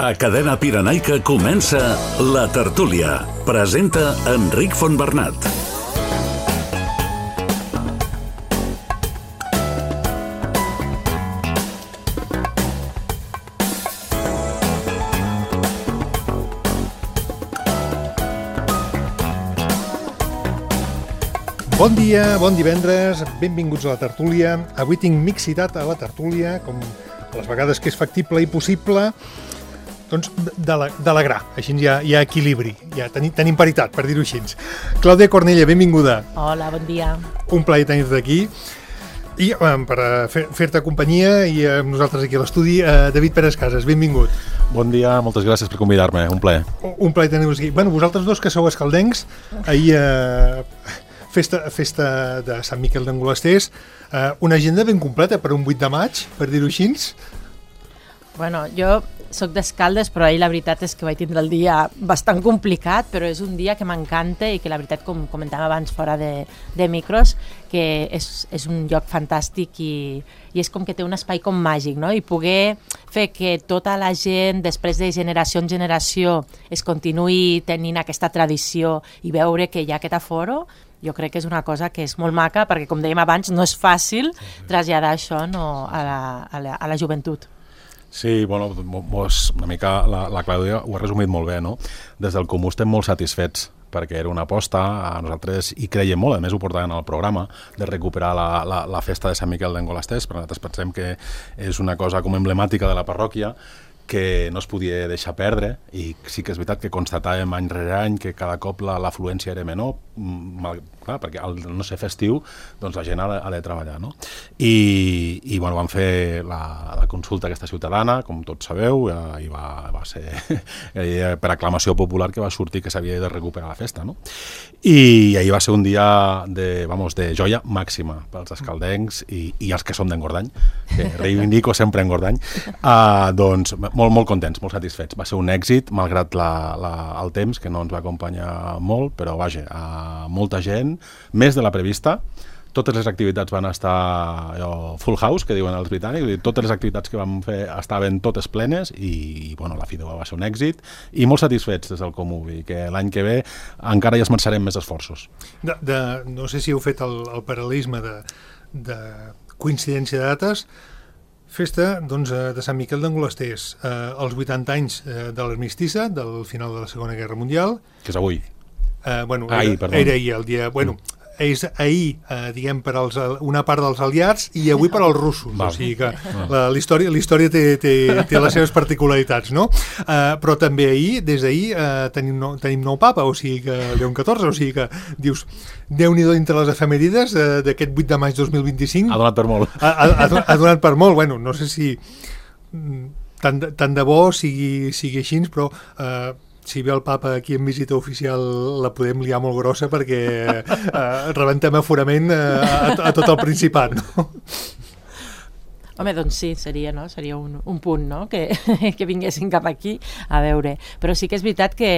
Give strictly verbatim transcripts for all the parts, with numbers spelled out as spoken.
A Cadena Pirenaica comença La Tertúlia. Presenta Enric Fontbernat. Bon dia, bon divendres, benvinguts a La Tertúlia. Avui tinc mixitat a La Tertúlia, com les vegades que és factible i possible, doncs de la gra, així hi ha, hi ha equilibri, ja tenim, tenim paritat, per dir-ho així. Clàudia Cornella, benvinguda. Hola, bon dia. Un plaer tenir-te aquí. I um, per fer, fer-te companyia i amb uh, nosaltres aquí a l'estudi, uh, David Pérez Casas, benvingut. Bon dia, moltes gràcies per convidar-me, un plaer. Un plaer tenir-vos aquí. Bueno, vosaltres dos que sou escaldencs, ahir... Uh, Festa, festa de Sant Miquel d'Angolasters, eh, una agenda ben completa per un vuit de maig, per dir-ho així. Bueno, jo soc d'Escaldes, però ahir la veritat és que vaig tindre el dia bastant complicat, però és un dia que m'encanta i que la veritat, com comentàvem abans fora de, de micros, que és, és un lloc fantàstic i, i és com que té un espai com màgic, no? I poder fer que tota la gent, després de generació en generació, es continuï tenint aquesta tradició i veure que hi ha aquest aforo, jo crec que és una cosa que és molt maca, perquè, com dèiem abans, no és fàcil traslladar això, no, a, la, a, la, a la joventut. Sí, bueno, mos, una mica la, la Clàudia ho ha resumit molt bé, no? Des del Comú estem molt satisfets, perquè era una aposta, a nosaltres hi creiem molt, a més ho portaven al programa, de recuperar la, la, la festa de Sant Miquel d'Angolasters, però nosaltres pensem que és una cosa com emblemàtica de la parròquia, que no es podia deixar perdre, i sí que és veritat que constatàvem any rere any que cada cop l'afluència era menor, mal, clar, perquè al no ser festiu doncs la gent ha de, ha de treballar, no? I, i bueno, vam fer la, la consulta aquesta ciutadana, com tots sabeu, i va, va ser per aclamació popular que va sortir que s'havia de recuperar la festa, no? I ahir va ser un dia de, vamos, de joia màxima pels escaldencs i, i els que som d'Engordany, que reivindico sempre Engordany, uh, doncs molt, molt contents, molt satisfets. Va ser un èxit, malgrat la, la, el temps, que no ens va acompanyar molt, però vaja, uh, molta gent, més de la prevista. Totes les activitats van estar allò, full house, que diuen els britànics, totes les activitats que vam fer estaven totes plenes i, bueno, la fi de va ser un èxit i molt satisfets des del Comú, i que l'any que ve encara hi esmerçarem més esforços. De, de, no sé si heu fet el, el paral·lelisme de, de coincidència de dates. Festa, doncs, de Sant Miquel d'Angolasters, eh, els vuitanta anys eh, de l'armistissa, del final de la Segona Guerra Mundial. Que és avui. Eh, bueno, ahir, era, era ahir, el dia... Bueno, mm. és ahir, eh, diguem, per als, una part dels aliats i avui per als russos. Val. O sigui que la, la història, la història té, té, té les seves particularitats, no? Eh, però també ahir, des d'ahir, eh, tenim, nou, tenim nou papa, o sigui que León catorze, o sigui que dius, Déu-n'hi-do entre les efemèrides eh, d'aquest vuit de maig dos mil vint-i-cinc. Ha donat per molt. Ha, ha, ha donat per molt, bueno, no sé si tant de, tant de bo sigui, sigui així, però... Eh, si ve el papa aquí en visita oficial la podem liar molt grossa perquè eh, rebentem aforament eh, a, a tot el Principat, no? Home, doncs sí, seria, no? Seria un, un punt, no? Que, que vinguessin cap aquí a veure. Però sí que és veritat que,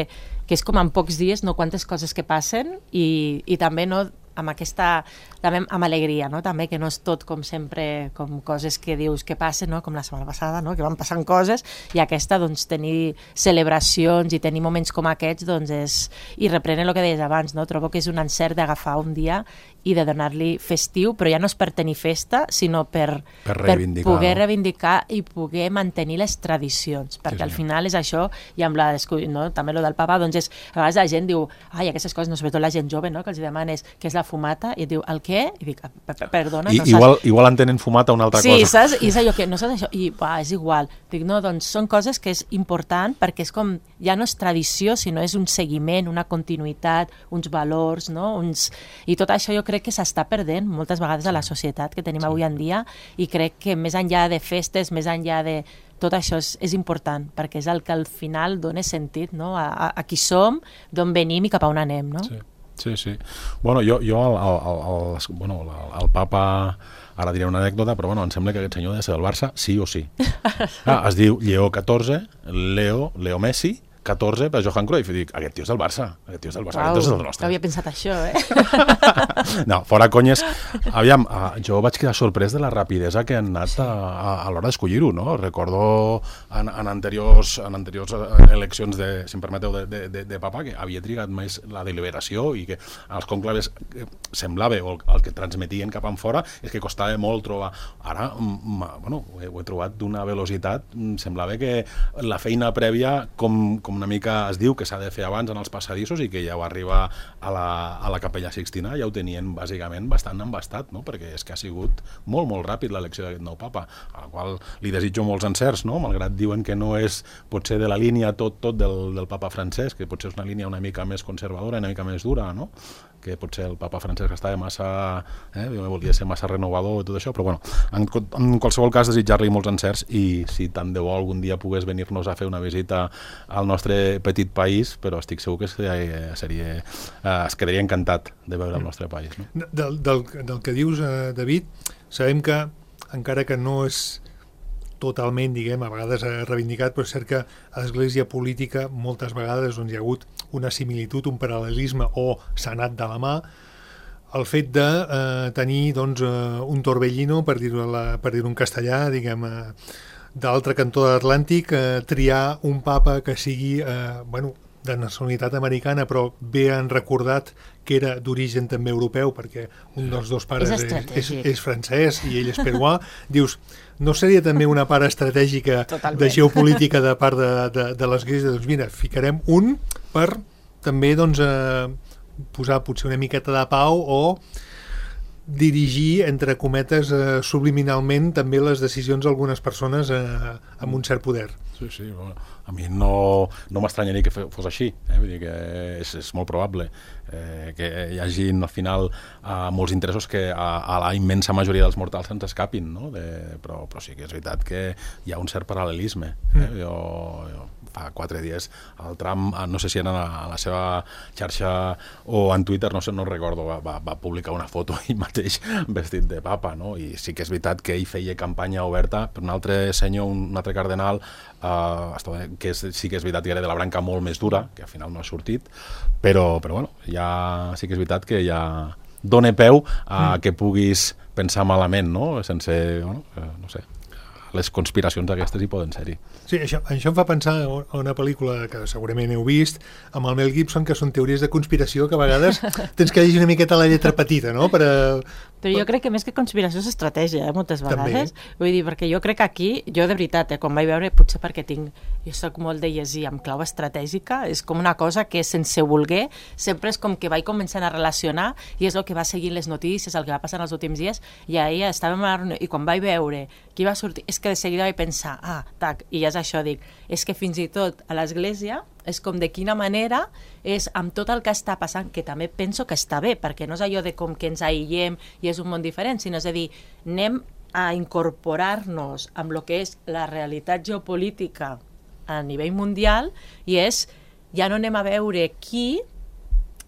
que és com en pocs dies, no? Quantes coses que passen i, i també, no? Amb aquesta, també amb alegria, no? També que no és tot com sempre, com coses que dius que passen, no? Com la setmana passada, no? Que van passant coses, i aquesta, doncs, tenir celebracions i tenir moments com aquests, doncs, és... I reprenen el que deies abans, no? Trobo que és un encert d'agafar un dia i de donar-li festiu, però ja no és per tenir festa, sinó per, per, per poder no? reivindicar i poder mantenir les tradicions, perquè sí, sí. Al final és això, i amb la, no? També el del papa, doncs és, a vegades la gent diu, ai, aquestes coses, no, sobretot la gent jove, no? Que els demanes què és la fumata, i et diu, el què? I dic, perdona, I, no saps... Igual, igual entenen fumata una altra sí, cosa. Sí, saps? I és allò que no saps això, i va, és igual. Dic, no, doncs són coses que és important perquè és com, ja no és tradició, sinó és un seguiment, una continuïtat, uns valors, no? Uns... I tot això jo crec que s'està perdent moltes vegades a la societat que tenim sí. Avui en dia, i crec que més enllà de festes, més enllà de... Tot això és, és important, perquè és el que al final dona sentit, no? a, a, a qui som, d'on venim i cap a on anem, no? Sí. Sí, sí. Bueno, jo, jo el, el, el, bueno, el, el papa, ara diré una anècdota, però bueno, em sembla que aquest senyor ha de ser del Barça, sí o sí. Ah, es diu Lleó catorze, Leo, Leo Messi, catorze per Johan Cruyff, i dic, aquest tio és del Barça, aquest tio és del Barça, Uau, aquest tio és del nostre. no havia pensat això, eh? No, fora conyes. Aviam, jo vaig quedar sorprès de la rapidesa que han anat a, a, a l'hora d'escollir-ho, no? Recordo en, en, anteriors, en anteriors eleccions, de, si em permeteu, de, de, de, de papa, que havia trigat més la deliberació i que als conclaves semblava, o el, el que transmetien cap en fora, és que costava molt trobar. Ara, bueno, ho he, ho he trobat d'una velocitat, semblava que la feina prèvia, com, com una mica es diu que s'ha de fer abans en els passadissos i que ja ho arriba a la, a la Capella Sixtina, ja ho tenien bàsicament bastant embastat, no? Perquè és que ha sigut molt, molt ràpid l'elecció d'aquest nou papa, a la qual li desitjo molts encerts, no? Malgrat diuen que no és potser de la línia tot, tot del, del papa Francesc, que potser és una línia una mica més conservadora, una mica més dura, no? Que potser el papa Francesc estava massa, eh, volia ser massa renovador i tot això, però bueno, en, en qualsevol cas desitjar-li molts encerts i si tant de bo algun dia pogués venir-nos a fer una visita al nostre petit país, però estic segur que seria, seria, eh, es quedaria encantat de veure el nostre país. No? Del, del, del que dius, eh, David, sabem que encara que no és totalment, diguem, a vegades reivindicat, però és cert que a l'església política moltes vegades on hi ha hagut una similitud, un paral·lelisme o s'ha anat de la mà, el fet de eh, tenir doncs, eh, un Torbellino, per dir-ho per dir-ho en castellà, diguem, eh, d'altre cantó de l'Atlàntic, eh, triar un papa que sigui, eh, bueno, de nacionalitat americana, però bé han recordat que era d'origen també europeu, perquè un dels dos pares és, és, és francès i ell és peruà. Dius, no seria també una part estratègica Totalment. De geopolítica de part de, de, de l'Església? Doncs mira, ficarem un per també doncs, eh, posar potser una miqueta de pau o dirigir, entre cometes, eh, subliminalment també les decisions d'algunes persones eh, amb un cert poder. Sí, sí, bueno, a mi no, no m'estranyaria que fos així, eh? Vull dir que és, és molt probable eh, que hi hagi al final eh, molts interessos que a, a la immensa majoria dels mortals se'ns escapin, no? De, però, però sí que és veritat que hi ha un cert paral·lelisme. Eh? Mm. Jo, jo fa quatre dies el Trump, no sé si era a la seva xarxa o en Twitter, no sé, no recordo, va, va publicar una foto ell mateix vestit de papa, no? I sí que és veritat que ell feia campanya oberta per un altre senyor, un altre cardenal, uh, que és, sí que és veritat que era de la branca molt més dura, que al final no ha sortit, però, però bueno, ja sí que és veritat que ja dona peu a mm. que puguis pensar malament, no? Sense, bueno, no sé, les conspiracions aquestes hi poden ser-hi. Sí, això, això em fa pensar a una pel·lícula que segurament heu vist, amb el Mel Gibson, que són teories de conspiració que a vegades tens que llegir una miqueta la lletra petita, no? Per a... Però jo crec que més que conspiració és estratègia, eh, moltes vegades. També. Vull dir, perquè jo crec que aquí, jo de veritat, eh, quan vaig veure, potser perquè tinc, jo soc molt de llegir amb clau estratègica, és com una cosa que sense voler, sempre és com que vaig començant a relacionar i és el que va seguint les notícies, el que va passar els últims dies, i ahir estàvem a la reunió, i quan vaig veure qui va sortir, és que de seguida vaig pensar, ah, tac, i ja és això, dic, és que fins i tot a l'església és com de quina manera és amb tot el que està passant, que també penso que està bé, perquè no és allò de com que ens aïllem i és un món diferent, sinó és a dir, anem a incorporar-nos amb el que és la realitat geopolítica a nivell mundial i és, ja no anem a veure qui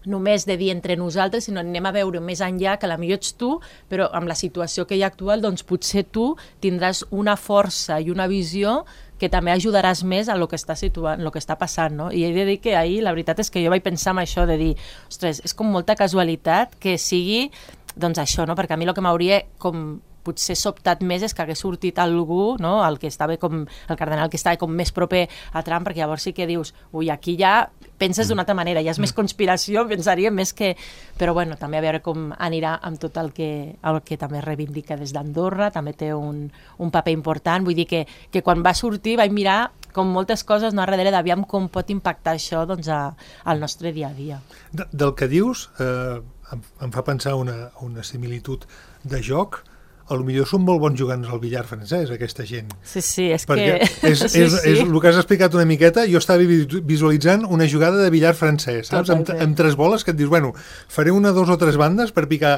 només de dir entre nosaltres, sinó anem a veure més enllà, que potser ets tu, però amb la situació que hi ha actual, doncs potser tu tindràs una força i una visió que també ajudaràs més a lo que està situant, lo que està passant, no? I he de dir que ahir la veritat és que jo vaig pensar en això de dir, ostres, és com molta casualitat que sigui, doncs això, no? Perquè a mi el que m'hauria com potser sobtat més és que hagués sortit algú, no? El que estava com, el cardenal que estava com més proper a Trump, perquè llavors sí que dius, ui, aquí ja penses d'una altra manera, ja és més conspiració, pensaria més que... Però bueno, també a veure com anirà amb tot el que, el que també reivindica des d'Andorra, també té un, un paper important, vull dir que, que quan va sortir vaig mirar com moltes coses, no, a darrere d'aviam com pot impactar això doncs, a, al nostre dia a dia. De, del que dius, eh, em, em fa pensar una, una similitud de joc. A lo millor són molt bons jugants al billar francès, aquesta gent. Sí, sí, és perquè que... És, sí, és, sí. és el que has explicat una miqueta, jo estava visualitzant una jugada de billar francès, saps? Amb, amb tres boles que et dius, bueno, faré una, dos o tres bandes per picar...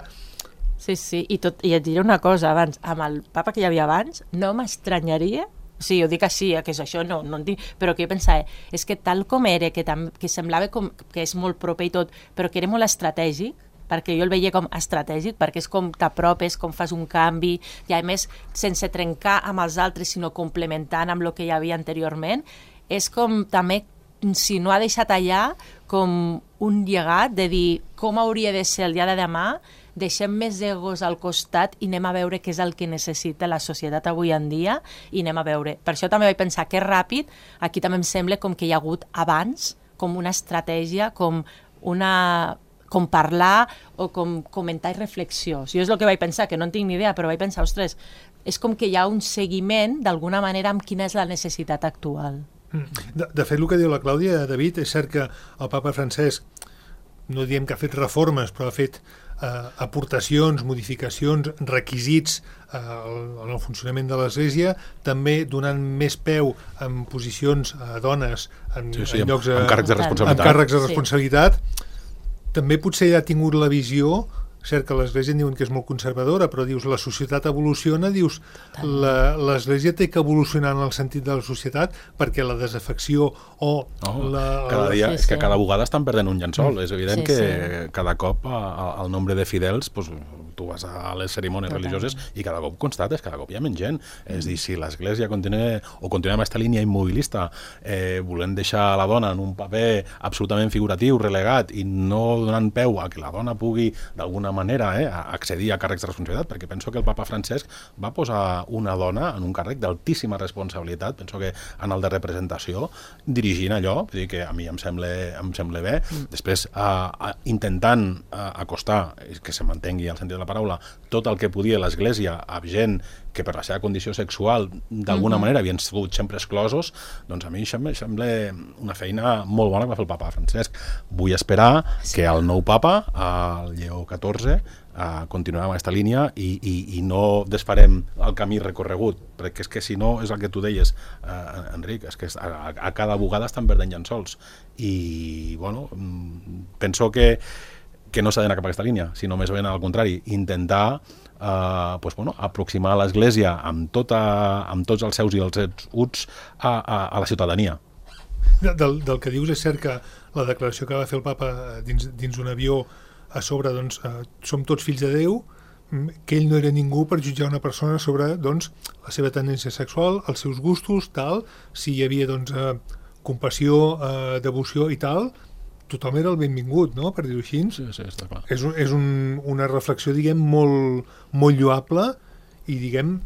Sí, sí, i, tot, i et diré una cosa abans, amb el papa que hi havia abans, no m'estranyaria, sí, ho dic així, que és això, no, no en dic, però que jo pensava, és que tal com era, que, tam, que semblava com, que és molt proper i tot, però que era molt estratègic, perquè jo el veia com estratègic, perquè és com t'apropes, com fas un canvi, i a més, sense trencar amb els altres, sinó complementant amb el que hi havia anteriorment, és com també si no ha deixat allà com un llegat de dir com hauria de ser el dia de demà, deixem més egos al costat i anem a veure què és el que necessita la societat avui en dia i anem a veure. Per això també vaig pensar que és ràpid, aquí també em sembla com que hi ha hagut abans, com una estratègia, com una... com parlar o com comentar i reflexió. Jo és el que vaig pensar, que no en tinc ni idea, però vaig pensar, ostres, és com que hi ha un seguiment d'alguna manera amb quina és la necessitat actual. De, de fet, el que diu la Clàudia, David, és cert que el papa Francesc, no diem que ha fet reformes, però ha fet eh, aportacions, modificacions, requisits eh, en el funcionament de l'Església, també donant més peu en posicions a dones, en, sí, sí, en llocs... Amb, amb càrrecs de responsabilitat. Amb càrrecs de responsabilitat. Sí. També potser ja ha tingut la visió, cert que l'Església en diuen que és molt conservadora, però dius, la societat evoluciona, dius, l'Església té que evolucionar en el sentit de la societat perquè la desafecció o... Oh, la, cada dia, sí, és que sí. cada vegada estan perdent un llençol. Mm. És evident sí, que sí. cada cop el nombre de fidels, pues, tu vas a les cerimònies Total. religioses i cada cop constates, cada cop hi ha menys gent. Mm. És dir, si l'Església continua o continua amb aquesta línia immobilista, eh, volent deixar la dona en un paper absolutament figuratiu, relegat, i no donant peu a que la dona pugui d'alguna manera eh, accedir a càrrecs de responsabilitat, perquè penso que el papa Francesc va posar una dona en un càrrec d'altíssima responsabilitat, penso que en el de representació, dirigint allò, vull dir que a mi em sembla, em sembla bé. Mm. Després, uh, uh, intentant uh, acostar, que se mantengui el sentit de la paraula, tot el que podia l'Església a gent que per la seva condició sexual d'alguna mm-hmm. manera havien sigut sempre exclosos, doncs a mi sembla, sembla una feina molt bona que va fer el papa Francesc. Vull esperar sí. que el nou papa, el Lleó catorze, uh, continuarà amb aquesta línia i, i, i no desfarem el camí recorregut, perquè és que si no, és el que tu deies, uh, Enric, és que a, a cada bugada estan perdent llençols. I, bueno, penso que que no s'ha d'anar cap a aquesta línia, sinó més ben al contrari, intentar eh, pues, bueno, aproximar l'Església amb, tota, amb tots els seus i els seus uts a, a, a la ciutadania. Del, del que dius és cert que la declaració que va fer el papa dins, dins un avió a sobre, doncs, eh, som tots fills de Déu, que ell no era ningú per jutjar una persona sobre doncs, la seva tendència sexual, els seus gustos, tal, si hi havia doncs, eh, compassió, eh, devoció i tal, tothom era el benvingut, no?, per dir-ho així. Sí, sí, està clar. És, un, és un, una reflexió, diguem, molt, molt lloable i, diguem,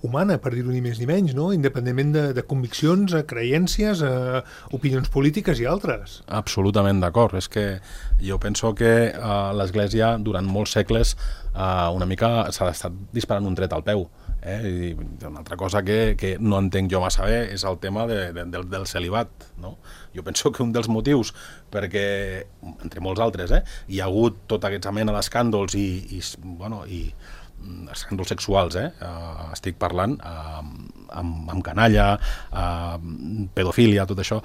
humana, per dir-ho ni més ni menys, no?, independentment de, de conviccions, creences, eh, opinions polítiques i altres. Absolutament d'acord. És que jo penso que eh, l'Església, durant molts segles, eh, una mica s'ha estat disparant un tret al peu. Eh? I una altra cosa que, que no entenc jo massa bé és el tema de, de, del, del celibat, no? Jo penso que un dels motius perquè, entre molts altres, eh, hi ha hagut tota aquesta mena d'escàndols i, i, bueno, i escàndols sexuals, eh? Uh, estic parlant uh, amb, amb canalla, uh, pedofília, tot això.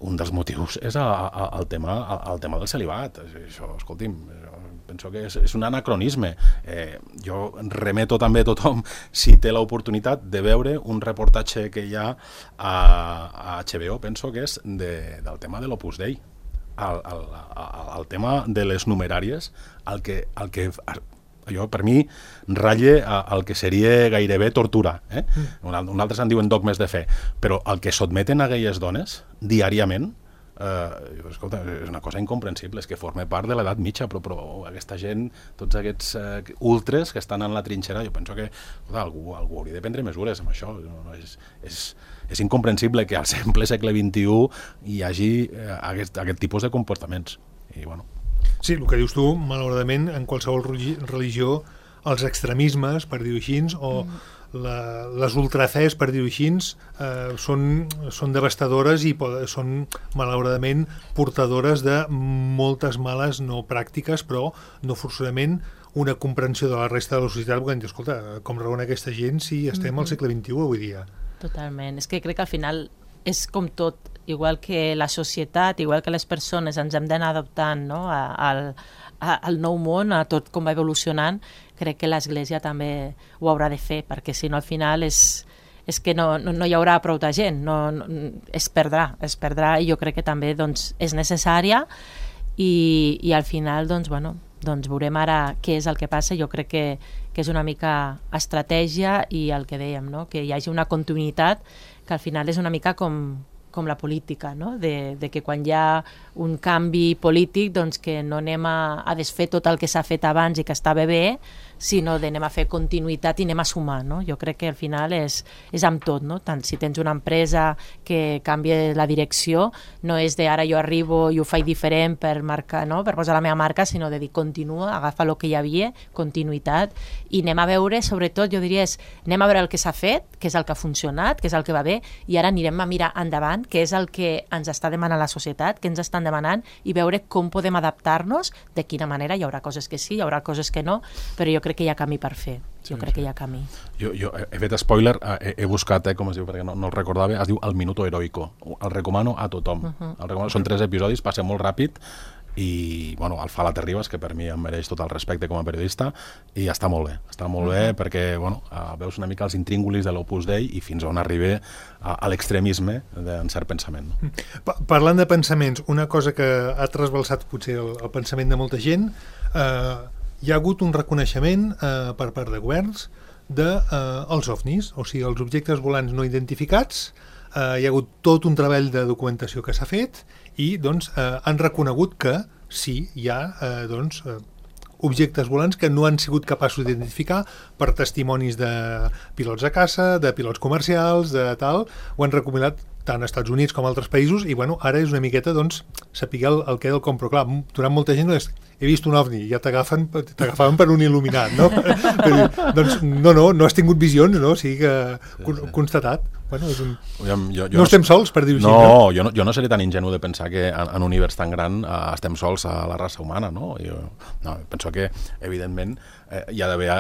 Un dels motius és a, a, el, tema, a, el tema del celibat. Això, escolti'm, penso que és, és un anacronisme. Eh, jo remeto també a tothom, si té l'oportunitat, de veure un reportatge que hi ha a, a H B O, penso que és de, del tema de l'Opus Dei. El, el, el, el tema de les numeràries, el que, el que jo, per mi, ratlla el que seria gairebé tortura. Eh? Mm. Un altres en diuen dogmes de fe, però el que sotmeten a aquelles dones diàriament, eh, escolta, és una cosa incomprensible, és que forma part de l'edat mitja, però, però aquesta gent, tots aquests eh, ultres que estan en la trinxera, jo penso que escolta, algú, algú hauria de prendre mesures amb això. No, no, és, és, és incomprensible que al simple segle vint-i-u hi hagi eh, aquest, aquest tipus de comportaments. I, bueno, sí, el que dius tu, malauradament, en qualsevol religió, els extremismes, per dir-ho així, o mm. la, les ultrafés, per dir-ho així, eh, són, són devastadores i poden, són, malauradament, portadores de moltes males no pràctiques, però no forçosament una comprensió de la resta de la societat, perquè hem dit, escolta, com raona aquesta gent si estem mm-hmm. al segle vint-i-u avui dia? Totalment. És que crec que al final és com tot, igual que la societat, igual que les persones ens hem d'anar adaptant, no?, al, al nou món, a tot com va evolucionant, crec que l'Església també ho haurà de fer, perquè si no al final és, és que no, no, no hi haurà prou de gent, no, no, es perdrà, es perdrà i jo crec que també doncs, és necessària i, i al final doncs, bueno, doncs veurem ara què és el que passa. Jo crec que, que és una mica estratègia i el que dèiem, no?, que hi hagi una continuïtat que al final és una mica com, com la política, no? De, de que quan hi ha un canvi polític, doncs que no anem a, a desfer tot el que s'ha fet abans i que estava bé, sinó d'anem a fer continuïtat i anem a sumar, no? Jo crec que al final és, és amb tot, no? Tant si tens una empresa que canvia la direcció, no és de ara jo arribo i ho faig diferent per marcar, no? Per posar la meva marca, sinó de dir continua, agafa el que hi havia, continuïtat, i anem a veure, sobretot, jo diria, és, anem a veure el que s'ha fet, que és el que ha funcionat, que és el que va bé, i ara anirem a mirar endavant, que és el que ens està demanant la societat, que ens estan demanant, i veure com podem adaptar-nos, de quina manera, hi haurà coses que sí, hi haurà coses que no, però jo crec que hi ha camí per fer. Jo sí, crec sí. que hi ha camí. Jo, jo he fet spoiler, he, he buscat, eh, com es diu, perquè no, no el recordava, es diu El Minuto Heroico. El recomano a tothom. Uh -huh. el recomano, són tres episodis, passa molt ràpid, i bueno, el fa la Terribas, que per mi em mereix tot el respecte com a periodista, i està molt bé, està molt uh -huh. bé perquè bueno, uh, veus una mica els intríngulis de l'Opus Dei i fins on arriba a, a l'extremisme d'un cert pensament. No? Pa Parlant de pensaments, una cosa que ha trasbalsat potser el, el pensament de molta gent, eh, hi ha hagut un reconeixement eh, per part de governs dels de, eh, ovnis, o sigui, els objectes volants no identificats. Eh, hi ha hagut tot un treball de documentació que s'ha fet i doncs, eh, han reconegut que sí, hi ha eh, doncs, eh, objectes volants que no han sigut capaços d'identificar per testimonis de pilots de caça, de pilots comercials, de tal, ho han recomanat tant als Estats Units com a altres països, i bueno, ara és una miqueta doncs, saber el, el què del com, però clar, durant molta gent és, he vist un ovni, ja t'agafen t'agafaven per un il·luminat, no? Dir, doncs no, no, no has tingut visions, no? O sigui que sí, sí. constatat. Bueno, és un... jo, jo, jo no estem sols, per dir-ho no, així. No, jo no, jo no seré tan ingenu de pensar que en, en un univers tan gran eh, estem sols a la raça humana, no? Jo no, penso que, evidentment, eh, hi ha d'haver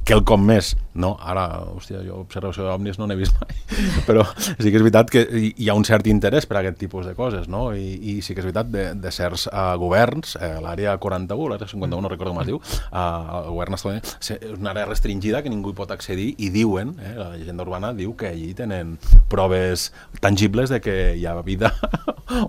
quelcom més, no? Ara, hòstia, jo observació d'ovnis no n'he vist mai, però sí que és veritat que hi ha un cert interès per a aquest tipus de coses, no? I, i sí que és veritat de, de certs uh, governs, eh, l'àrea quaranta-u, l'àrea cinquanta-u, no recordo com es diu, uh, el govern estadounidense, és una àrea restringida que ningú hi pot accedir, i diuen, eh, la llegenda urbana diu que allí tenen proves tangibles de que hi ha vida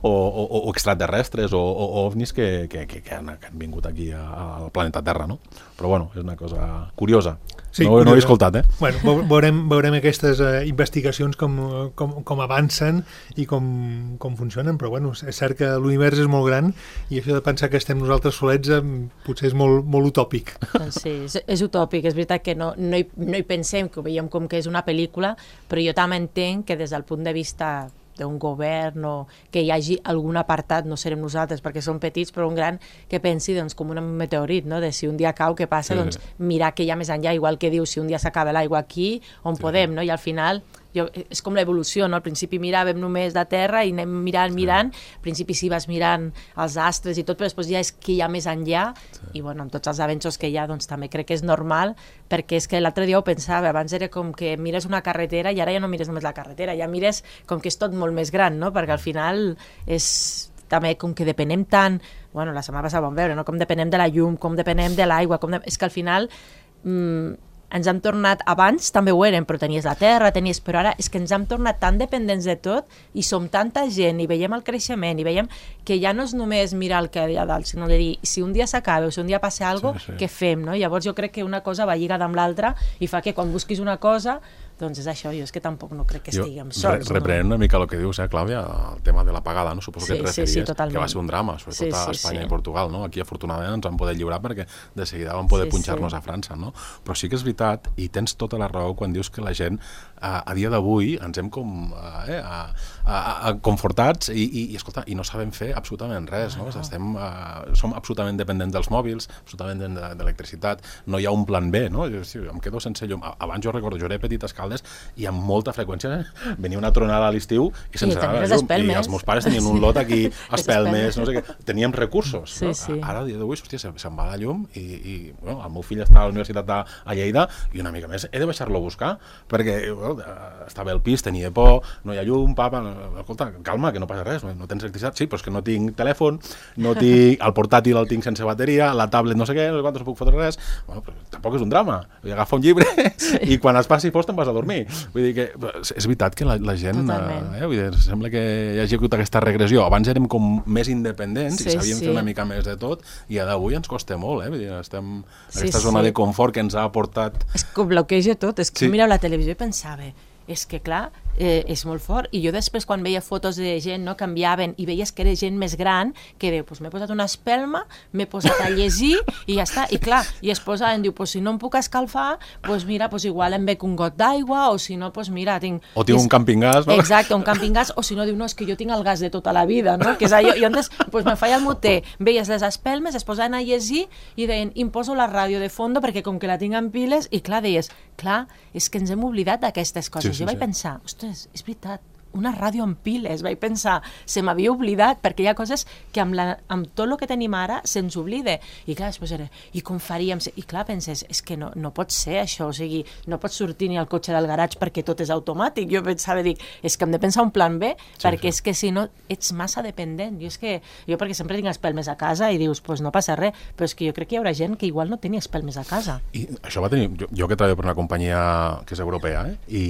o, o, o extraterrestres o, o ovnis que, que, que, que, han, que han vingut aquí a, al planeta Terra, no? Però bueno, és una cosa curiosa. Sí, no, no ho he escoltat, eh? Bueno, veurem, veurem aquestes uh, investigacions com, com, com avancen i com, com funcionen, però bueno, és cert que l'univers és molt gran i això de pensar que estem nosaltres solets eh, potser és molt, molt utòpic. Sí, és, és utòpic, és veritat que no, no, hi, no hi pensem, que ho veiem com que és una pel·lícula, però jo també entenc que des del punt de vista d'un govern o que hi hagi algun apartat, no serem nosaltres perquè som petits, però un gran que pensi doncs, com un meteorit, no? De si un dia cau, què passa? Sí. Doncs mirar què hi ha més enllà, igual que diu, si un dia s'acaba l'aigua aquí, on sí. podem, no? I al final jo, és com l'evolució, no? Al principi miràvem només de terra i anem mirant, mirant, sí. al principi sí vas mirant els astres i tot, però després ja és que hi ha més enllà, sí. i bueno, amb tots els avenços que hi ha, doncs també crec que és normal, perquè és que l'altre dia ho pensava, abans era com que mires una carretera i ara ja no mires només la carretera, ja mires com que és tot molt més gran, no? Perquè al final és també com que depenem tant, bueno, la setmana passada vam veure, no? Com depenem de la llum, com depenem de l'aigua, com de... és que al final mmm, ens hem tornat, abans també ho érem, però tenies la terra, tenies, però ara és que ens hem tornat tan dependents de tot i som tanta gent i veiem el creixement i veiem que ja no és només mirar el que hi ha dalt, sinó de dir, si un dia s'acaba o si un dia passa alguna cosa, sí, sí. què fem, no? Llavors jo crec que una cosa va lligada amb l'altra i fa que quan busquis una cosa, doncs és això, jo és que tampoc no crec que estiguem sols. Re reprenent no? una mica el que dius, eh, Clàudia, el tema de l'apagada, no? Suposo sí, que et referies, sí, sí, que va ser un drama, sobretot sí, sí, a Espanya sí. i Portugal, no? Aquí afortunadament ens vam poder lliurar perquè de seguida vam poder sí, punxar-nos sí. a França, no? Però sí que és veritat, i tens tota la raó quan dius que la gent a, a dia d'avui ens hem com eh, a, a, a confortats i, i, i, escolta, i no sabem fer absolutament res, no? Ah, Estem, uh, som absolutament dependents dels mòbils, absolutament d'electricitat, no hi ha un plan B, no? Jo, sí, em quedo sense llum. Abans jo recordo, jo era petit a Escaldes i amb molta freqüència eh? venia una tronada a l'estiu i sense I, llum, i els meus pares tenien un lot aquí a Espelmes, no sé què, teníem recursos, sí, no? sí. Ara a dia d'avui, hòstia, se'n se va la llum i, i bueno, el meu fill està a la universitat a, a Lleida i una mica més he de baixar-lo a buscar perquè bueno, estava al pis, tenia por, no hi ha llum, papa, escolta, calma, que no passa res, no, no tens electricitat, sí, però és que no tinc telèfon, no tinc, el portàtil el tinc sense bateria, la tablet no sé què, no sé quantos, no puc fotre res, bueno, però tampoc és un drama, vull agafa un llibre sí. i quan es passi fos te'n vas a dormir, vull dir que és veritat que la, la gent, eh, vull dir, sembla que hi hagi hagut aquesta regressió, abans érem com més independents sí, i sabíem sí. fer una mica més de tot i d'avui ens costa molt, eh, vull dir, estem en sí, aquesta zona sí. de confort que ens ha aportat... És que ho bloqueja tot, és que sí. mireu la televisió i pensava és que clar, eh, és molt fort. I jo després quan veia fotos de gent, no, que enviaven i veies que era gent més gran, que diu, pues m'he posat una espelma, m'he posat a llegir i ja està. I clar, i es posaven, diu, pues si no em puc escalfar, pues mira, pues igual em bec un got d'aigua, o si no, pues mira, tinc... O tinc és... un campingàs, no? Exacte, un campingàs, o si no, diu, no, és que jo tinc el gas de tota la vida, no? Que és allò, i llavors, pues me feia el moter, veies les espelmes, es posaven a llegir i deien, imposo la ràdio de fondo perquè com que la tinc en piles, i clar, deies, clar, és que ens hem oblidat d'aquestes coses. Sí, sí, jo vaig sí. pensar, ostres, és veritat, una ràdio amb piles, vaig pensar, se m'havia oblidat, perquè hi ha coses que amb, la, amb tot el que tenim ara se'ns oblida. I clar, després era, i com faríem? I clar, penses, és que no, no pot ser això, o sigui, no pots sortir ni al cotxe del garatge perquè tot és automàtic. Jo pensava, dic, és que hem de pensar un plan B, sí, perquè sí. és que si no ets massa dependent. Jo és que, jo perquè sempre tinc espelmes a casa i dius, pues no passa res, però és que jo crec que hi haurà gent que igual no tenia espelmes a casa. I això va tenir, jo, jo que treballo per una companyia que és europea, eh? I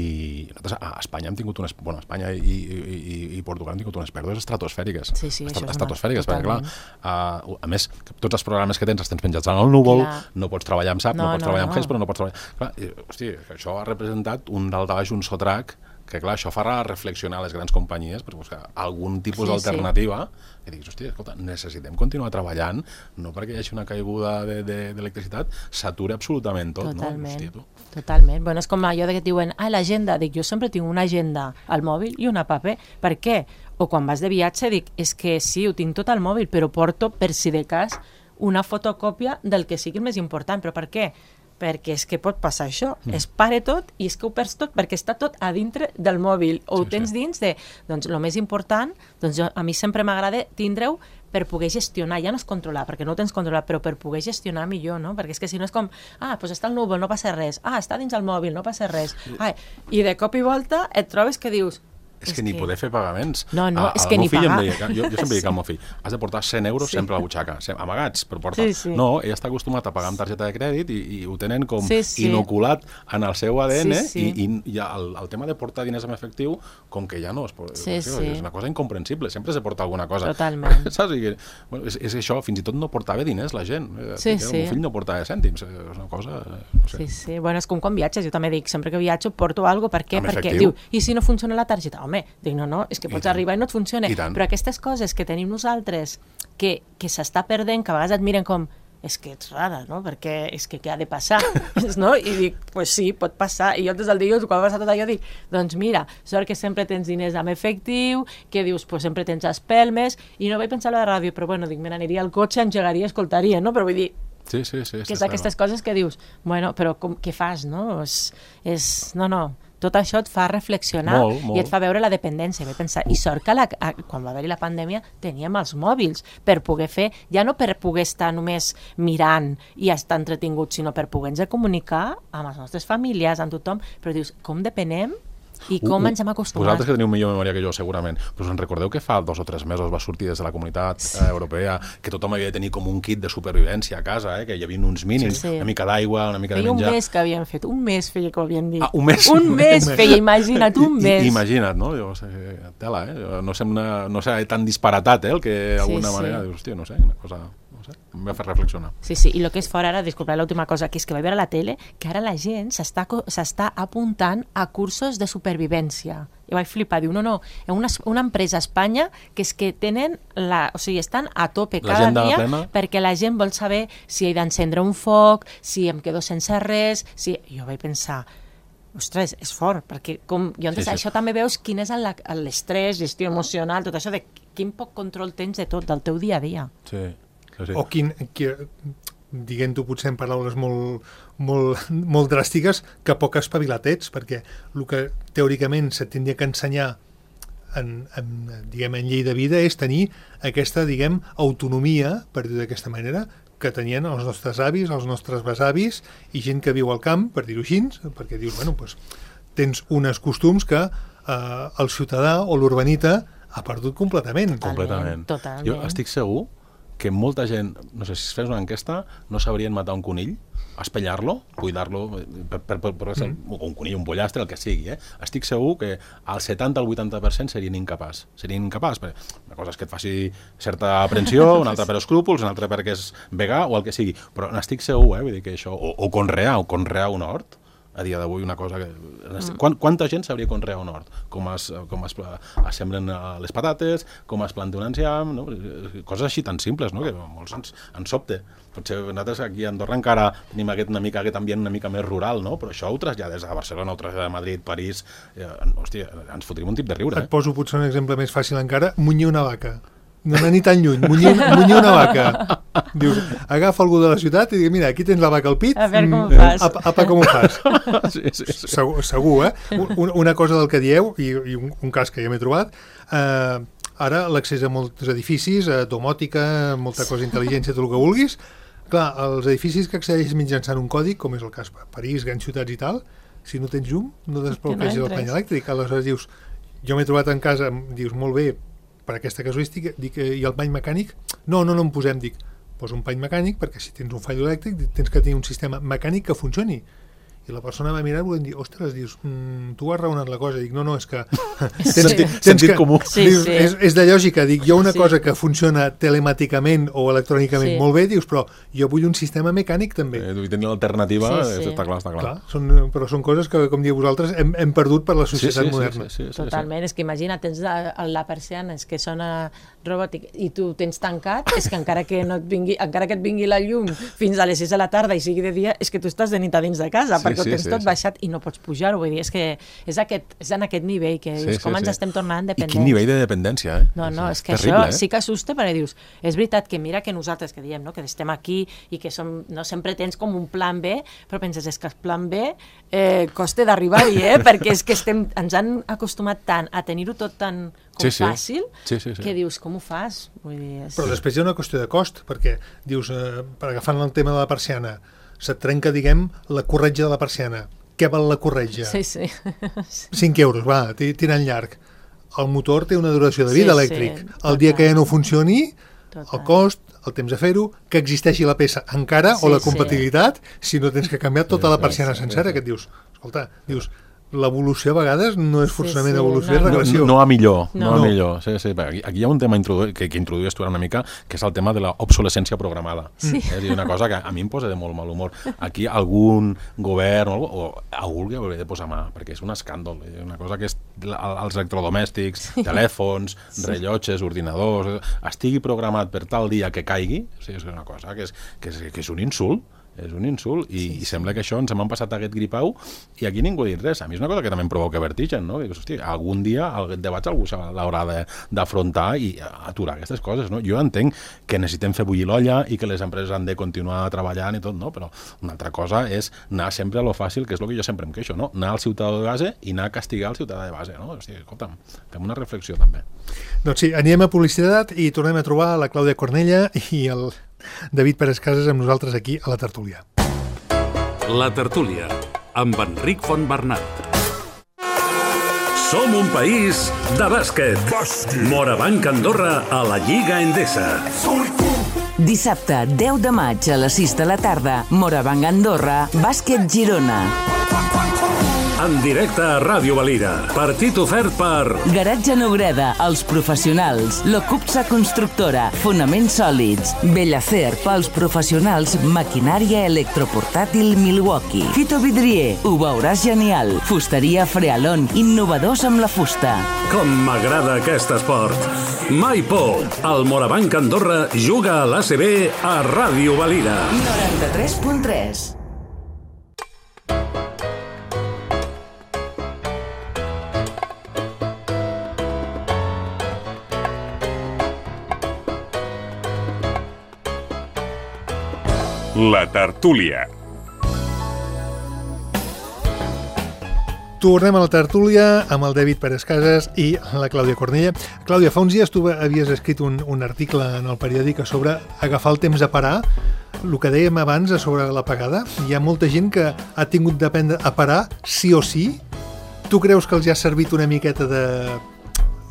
nosaltres a Espanya hem tingut unes, bueno, a Espanya i, i, i Portugal han tingut unes pèrdues estratosfèriques. Sí, sí, Estat, estratosfèriques, perquè clar, uh, a més, tots els programes que tens els tens penjats en el núvol, clar. No pots treballar amb S A P, no, no pots no, treballar no. amb H E S, però no pots treballar... Clar, i, hosti, això ha representat un dalt a baix, un sotrac, que clar, això fa reflexionar les grans companyies per buscar algun tipus sí, d'alternativa sí. que diguis, hòstia, escolta, necessitem continuar treballant, no perquè hi hagi una caiguda d'electricitat, de, de, s'atura absolutament tot, totalment, no? Hòstia, tu. Totalment. Bueno, és com allò de que et diuen, ah, l'agenda, dic, jo sempre tinc una agenda al mòbil i una paper. Per què? O quan vas de viatge, dic, és que sí, ho tinc tot al mòbil, però porto, per si de cas, una fotocòpia del que sigui el més important. Però per què? Perquè és que pot passar això, mm. es pare tot i és que ho perds tot perquè està tot a dintre del mòbil o sí, ho tens sí. dins de... Doncs el més important, doncs jo, a mi sempre m'agrada tindre-ho per poder gestionar, ja no és controlar, perquè no ho tens controlat, però per poder gestionar millor, no? Perquè és que si no és com, ah, doncs està al núvol, no passa res, ah, està dins el mòbil, no passa res, ah, i de cop i volta et trobes que dius, És, és que ni que... poder fer pagaments. No, no, a, és que ni pagar. Deia, jo, jo sempre dic al meu fill, has de portar cent euros sí. sempre a la butxaca, amagats, però porta. Sí, sí. No, ell està acostumat a pagar amb targeta de crèdit i, i ho tenen com sí, sí. inoculat en el seu A D N sí, sí. i, i ja el, el tema de portar diners en efectiu, com que ja no es pot... Sí, sí. És una cosa incomprensible, sempre se porta alguna cosa. Totalment. Saps? I, bueno, és, és això, fins i tot no portava diners la gent. Sí, el sí. meu fill no portava cèntims, és una cosa... No sé. Sí, sí. Bueno, és com quan viatges, jo també dic, sempre que viatjo porto alguna cosa, per què? Perquè diu, i si no funciona la targeta? Home, dic, no, no, és que pots I arribar i no et funciona. Però aquestes coses que tenim nosaltres, que, que s'està perdent, que a vegades et miren com, és que ets rara, no? Perquè és que què ha de passar? No? I dic, pues sí, pot passar. I jo des del dia, quan va passar tot allò, dic, doncs mira, sort que sempre tens diners amb efectiu, que dius, pues sempre tens espelmes, i no vaig pensar a la ràdio, però bueno, dic, me n'aniria al cotxe, engegaria, escoltaria, no? Però vull dir, sí, sí, sí, que és aquestes coses que dius, bueno, però com, què fas, no? És, és, no, no, tot això et fa reflexionar molt, molt. i et fa veure la dependència. Vaig pensar, i sort que la, a, quan va haver-hi la pandèmia teníem els mòbils per poder fer, ja no per poder estar només mirant i estar entretinguts, sinó per poder-nos comunicar amb els nostres familiars, amb tothom, però dius, com depenem i com uh, uh, ens hem acostumat. Vosaltres que teniu millor memòria que jo, segurament, però us en recordeu que fa dos o tres mesos va sortir des de la comunitat sí. eh, europea que tothom havia de tenir com un kit de supervivència a casa, eh, que hi havia uns mínims, sí, sí. una mica d'aigua, una mica feia de menjar. Un mes que havien fet, un mes feia que ho havien dit. Ah, un mes? Un mes feia, imagina't, un mes. I, imagina't, no? Jo, tela, eh? No sé, una, no sé tan disparatat, eh, el que d'alguna sí, manera, sí. dius, hòstia, no sé, una cosa... em va fer reflexionar. Sí, sí, i el que és fora ara, disculpa, l'última cosa, que és que vaig veure a la tele que ara la gent s'està apuntant a cursos de supervivència. I vaig flipar, diu, no, no, una, una empresa a Espanya que és que tenen, la, o sigui, estan a tope cada dia plena. Perquè la gent vol saber si he d'encendre un foc, si em quedo sense res, si... Jo vaig pensar, ostres, és fort, perquè com, jo entenc, sí, sí. això també veus quin és l'estrès, gestió emocional, tot això de quin poc control tens de tot, del teu dia a dia. Sí. Sí. O quin, diguem-ho potser en paraules molt, molt, molt dràstiques, que poc espavilat ets, perquè el que teòricament se tindria que ensenyar en, en, diguem, en llei de vida és tenir aquesta, diguem, autonomia, per dir d'aquesta manera, que tenien els nostres avis, els nostres besavis i gent que viu al camp, per dir-ho així, perquè dius, bueno, doncs, tens uns costums que eh, el ciutadà o l'urbanita ha perdut completament. Completament. Totalment. Jo estic segur que molta gent, no sé, si es fes una enquesta, no sabrien matar un conill, espellar-lo, cuidar-lo, per, per, per, per mm. un conill, un pollastre, el que sigui. Eh? Estic segur que al setanta al vuitanta per cent serien incapaç. Serien incapaç, perquè una cosa és que et faci certa aprensió, una altra per escrúpols, una altra perquè és vegà o el que sigui. Però n'estic segur, eh? Vull dir que això, o, o conrear, o conrear un hort, a dia d'avui una cosa que... Quant, quanta gent sabria conrear un hort? Com es, com es, es sembren les patates, com es planta un enciam, no? Coses així tan simples, no? Que molts ens, ens sobte. Potser nosaltres aquí a Andorra encara tenim aquest, una mica, aquest ambient una mica més rural, no? Però això ho trasllades a Barcelona, ho trasllades a Madrid, París... Eh, hòstia, ens fotríem un tip de riure. Et eh? poso potser un exemple més fàcil encara, munyir una vaca. No anar ni tan lluny, munyir, munyir una vaca. Dius, agafa algú de la ciutat i diu, mira, aquí tens la vaca al pit, a veure com ho fas. Apa, apa com ho fas. Sí, sí, sí. Segur, segur, eh? Un, una cosa del que dieu, i, i un, un cas que ja m'he trobat, eh, ara l'accés a molts edificis, a domòtica, molta cosa intel·ligència, tot el que vulguis, clar, els edificis que accedeixes mitjançant un còdic, com és el cas París, grans ciutats i tal, si no tens llum, no desbloqueges no el pany elèctric. Aleshores dius, jo m'he trobat en casa, dius, molt bé, per aquesta casuística, dic, i el pany mecànic? No, no, no en posem, dic, posa un pany mecànic perquè si tens un fall elèctric tens que tenir un sistema mecànic que funcioni. I la persona va mirar-ho i dir, ostres, dius, mm, tu has raonat la cosa. Dic, no, no, és que... tens, sí. tens, tens que comú. Sí, dius, sí. És, és de lògica. Dic, hi ha una sí. cosa que funciona telemàticament o electrònicament sí. molt bé, dius, però jo vull un sistema mecànic també. Eh, i tenir l'alternativa, sí, sí. està clar, està clar. clar són, però són coses que, com diu vosaltres, hem, hem perdut per la societat sí, sí, moderna. Sí, sí, sí, Totalment, sí. és que imagina, tens la, la persiana, és que sona robòtic, i tu tens tancat, és que encara que no et vingui, encara que et vingui la llum fins a les sis de la tarda i sigui de dia, és que tu estàs de nit a dins de casa, sí, perquè sí, ho tens sí, tot sí. baixat i no pots pujar-ho, vull dir, és que és, aquest, és en aquest nivell que dius, sí, com sí, ens sí. estem tornant dependents. I quin nivell de dependència, eh? No, no, és que terrible, això eh? sí que assusta, perquè dius, és veritat que mira que nosaltres que diem, no, que estem aquí i que som, no sempre tens com un plan B, però penses, és que el plan B eh, costa d'arribar-hi, eh? Perquè és que estem, ens han acostumat tant a tenir-ho tot tan com sí, sí. fàcil, sí, sí, sí. que dius, com ho fas? Vull dir, és... Però després hi ha una qüestió de cost, perquè dius, eh, per agafant el tema de la persiana, se't trenca, diguem, la corretja de la persiana. Què val la corretja? Sí, sí. cinc euros, va, tirant llarg. El motor té una duració de vida sí, elèctric. Sí, el dia que ja no funcioni, total. El cost, el temps de fer-ho, que existeixi la peça encara sí, o la compatibilitat, sí. Si no tens que canviar tota la persiana sí, sí, sencera, sí. que et dius, escolta, dius, l'evolució a vegades no és forçament sí, sí, evolució, no. és regressió. No, no a millor, no, no. a No. millor. Sí, sí. Aquí, aquí hi ha un tema introdu que, que introduïes tu ara una mica, que és el tema de l'obsolescència programada. Sí. És a dir, una cosa que a mi em posa de molt mal humor. Aquí algun govern o, o algú que hauria de posar mà, perquè és un escàndol. És una cosa que és els electrodomèstics, sí. telèfons, sí. rellotges, ordinadors, estigui programat per tal dia que caigui, o sigui, és una cosa que és, que és, que és un insult. És un insult, i, sí, sí. i sembla que això ens hem passat aquest gripau i aquí ningú ha dit res. A mi és una cosa que també em provoca vertigen, no? Dius, hosti, algun dia el debat algú l'haurà d'afrontar i aturar aquestes coses, no? Jo entenc que necessitem fer bullir l'olla i que les empreses han de continuar treballant i tot, no? Però una altra cosa és anar sempre a lo fàcil, que és el que jo sempre em queixo, no? Anar al ciutadà de base i anar a castigar el ciutadà de base, no? O sigui, escolta'm, fem una reflexió també. Doncs sí, anirem a publicitat i tornem a trobar la Clàudia Cornella i el David Pérez Casas amb nosaltres aquí a la tertúlia. La tertúlia, amb Enric Fontbernat. Som un país de bàsquet. Bàsquet. Morabanc Andorra a la Lliga Endesa. Dissabte, deu de maig a les sis de la tarda, Morabanc Andorra, Bàsquet Girona. En directe a Ràdio Valira. Partit ofert per... Garatge Nobreda, els professionals. Locupsa Constructora, fonaments sòlids. Bellacer, pels professionals, maquinària electroportàtil Milwaukee. Fito Vidrier, ho veuràs genial. Fusteria Frealon, innovadors amb la fusta. Com m'agrada aquest esport. Mai por. El Morabanc Andorra juga a l'A C B a Ràdio Valira. noranta-tres punt tres. La tertúlia. Tornem a la tertúlia amb el David Pérez Casas i la Clàudia Cornella. Clàudia, fa uns dies tu havies escrit un, un article en el periòdic sobre agafar el temps a parar. El que dèiem abans sobre l'apagada, hi ha molta gent que ha tingut d'aprendre a parar sí o sí. Tu creus que els ha servit una miqueta de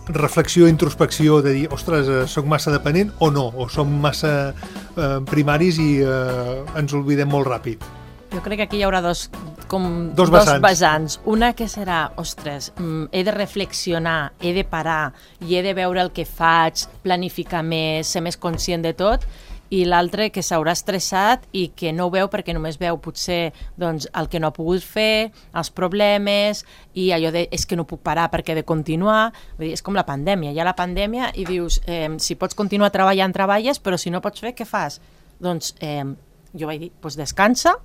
reflexió, introspecció, de dir, ostres, soc massa dependent o no? O som massa eh, primaris i eh, ens oblidem molt ràpid? Jo crec que aquí hi haurà dos, com, dos, dos vessants. vessants. Una que serà, ostres, he de reflexionar, he de parar i he de veure el que faig, planificar més, ser més conscient de tot. i l'altre que s'haurà estressat i que no ho veu perquè només veu potser doncs, el que no ha pogut fer, els problemes i allò de és que no puc parar perquè he de continuar. Vull dir, és com la pandèmia, hi ha la pandèmia i dius eh, si pots continuar treballant, treballes, però si no pots fer, què fas? Doncs eh, jo vaig dir, doncs descansa,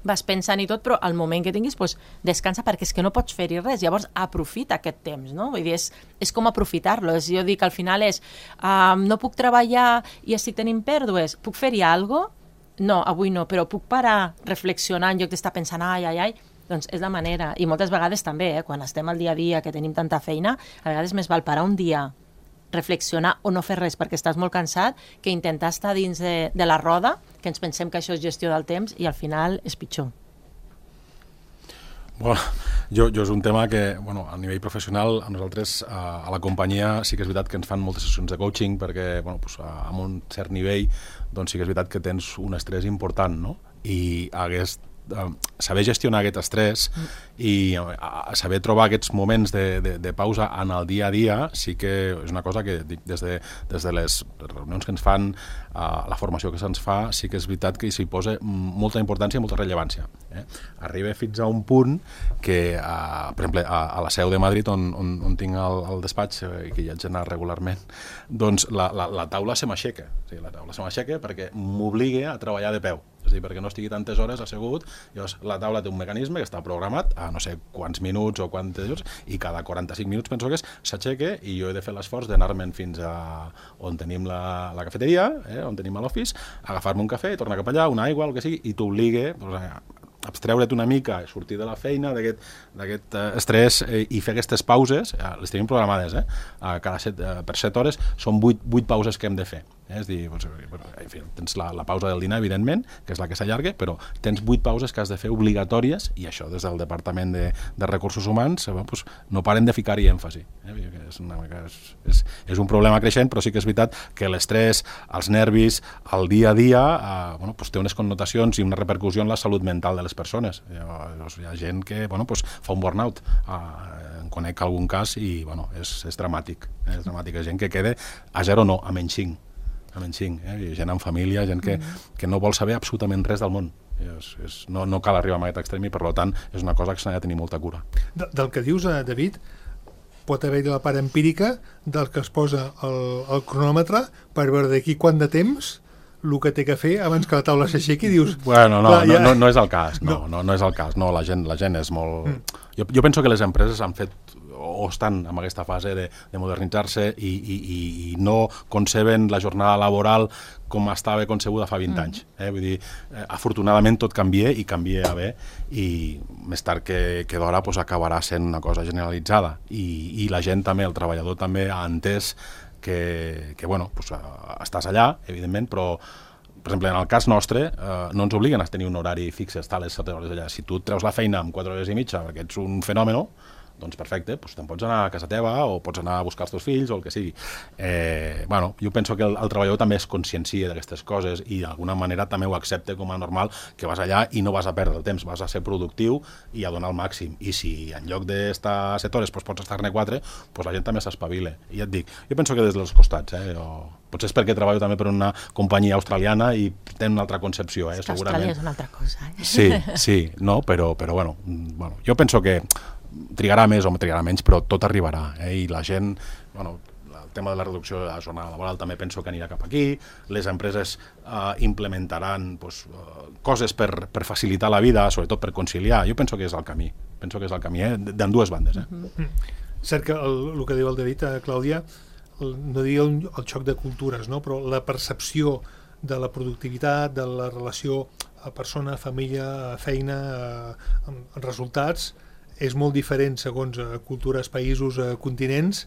vas pensant i tot, però al moment que tinguis doncs descansa perquè és que no pots fer-hi res, llavors aprofita aquest temps, no? Vull dir, és, és com aprofitar-lo, és, jo dic al final és uh, no puc treballar i estic tenint pèrdues, puc fer-hi alguna cosa? No, avui no, però puc parar, reflexionar en lloc d'estar pensant ai, ai, ai, doncs és la manera, i moltes vegades també, eh, quan estem al dia a dia, que tenim tanta feina, a vegades més val parar un dia, reflexionar o no fer res perquè estàs molt cansat, que intentar estar dins de, de la roda, que ens pensem que això és gestió del temps i al final és pitjor. Bueno, jo, jo és un tema que, bueno, a nivell professional, a nosaltres, a, a la companyia, sí que és veritat que ens fan moltes sessions de coaching perquè, bueno, pues, a, a un cert nivell, doncs sí que és veritat que tens un estrès important, no? I hagués saber gestionar aquest estrès i saber trobar aquests moments de, de, de pausa en el dia a dia sí que és una cosa que dic, des, de, des de les reunions que ens fan, uh, la formació que se'ns fa, sí que és veritat que s'hi posa molta importància i molta rellevància. Eh? Arriba fins a un punt que, uh, per exemple, a, a la seu de Madrid, on, on, on tinc el, el despatx i que hi haig d'anar regularment, doncs la, la, la taula se m'aixeca. O sigui, la taula se m'aixeca perquè m'obliga a treballar de peu. És a dir, perquè no estigui tantes hores assegut, llavors la taula té un mecanisme que està programat a no sé quants minuts o quants minuts, i cada quaranta-cinc minuts penso que és, s'aixeca i jo he de fer l'esforç d'anar-me'n fins a on tenim la, la cafeteria, eh, on tenim l'office, agafar-me un cafè, tornar cap allà, una aigua, el que sigui, i t'obliga doncs, a abstreure't una mica, sortir de la feina, d'aquest uh, estrès eh, i fer aquestes pauses, eh, les tenim programades, eh, a cada set, eh, per set hores, són vuit, vuit pauses que hem de fer. Eh? És dir, doncs, en fi, tens la, la pausa del dinar, evidentment, que és la que s'allarga, però tens vuit pauses que has de fer obligatòries i això des del Departament de, de Recursos Humans eh, doncs, no paren de ficar-hi èmfasi. Eh? És, una, és, és, és un problema creixent, però sí que és veritat que l'estrès, els nervis, el dia a dia, eh, bueno, doncs, té unes connotacions i una repercussió en la salut mental de les persones. Llavors, hi ha gent que bueno, doncs, fa un burnout. Eh, en conec algun cas i bueno, és, és dramàtic. Eh? És dramàtic. Hi ha gent que queda a zero no, a menys cinc. A menys cinc, eh? Gent en família, gent que, que no vol saber absolutament res del món. És, és, no, no cal arribar a aquest extrem i per tant és una cosa que s'ha de tenir molta cura. De, del que dius, eh, David, pot haver-hi la part empírica del que es posa el, el cronòmetre per veure d'aquí quant de temps el que té que fer abans que la taula s'aixequi i dius... Bueno, no, clar, ja... no, no, no és el cas, no, no, no és el cas, no, la gent, la gent és molt... Mm. Jo, jo penso que les empreses han fet o estan en aquesta fase de, de modernitzar-se i, i, i no conceben la jornada laboral com estava concebuda fa vint anys. Eh? Vull dir, eh, afortunadament tot canvia i canvia a bé i més tard que, que d'hora pues, acabarà sent una cosa generalitzada i, i la gent també, el treballador també ha entès que, que bueno, pues, estàs allà, evidentment, però per exemple, en el cas nostre, eh, no ens obliguen a tenir un horari fix, estar a les set hores allà. Si tu et treus la feina en quatre hores i mitja perquè ets un fenòmeno, doncs perfecte, doncs te'n pots anar a casa teva o pots anar a buscar els teus fills o el que sigui. Eh, bueno, jo penso que el, el treballador també es consciencia d'aquestes coses i d'alguna manera també ho accepta com a normal que vas allà i no vas a perdre el temps, vas a ser productiu i a donar el màxim. I si en lloc d'estar set hores doncs pots estar-ne quatre, doncs la gent també s'espavila. I ja et dic, jo penso que des dels costats, eh, o potser és perquè treballo també per una companyia australiana i tenen una altra concepció, eh, segurament. Austràlia és una altra cosa, eh? Sí, sí, no, però, però bueno, bueno, jo penso que trigarà més o trigarà menys, però tot arribarà, eh? I la gent, bueno, el tema de la reducció de la jornada laboral també penso que anirà cap aquí, les empreses eh, implementaran pues, eh, coses per, per facilitar la vida, sobretot per conciliar, jo penso que és el camí, penso que és el camí, eh? d'ambdues bandes. Eh? Mm-hmm. Cert que el, el que diu el David, eh, Clàudia, el, no diria el, el xoc de cultures, no? Però la percepció de la productivitat, de la relació a persona, família, feina, eh, resultats, és molt diferent segons eh, cultures, països, eh, continents,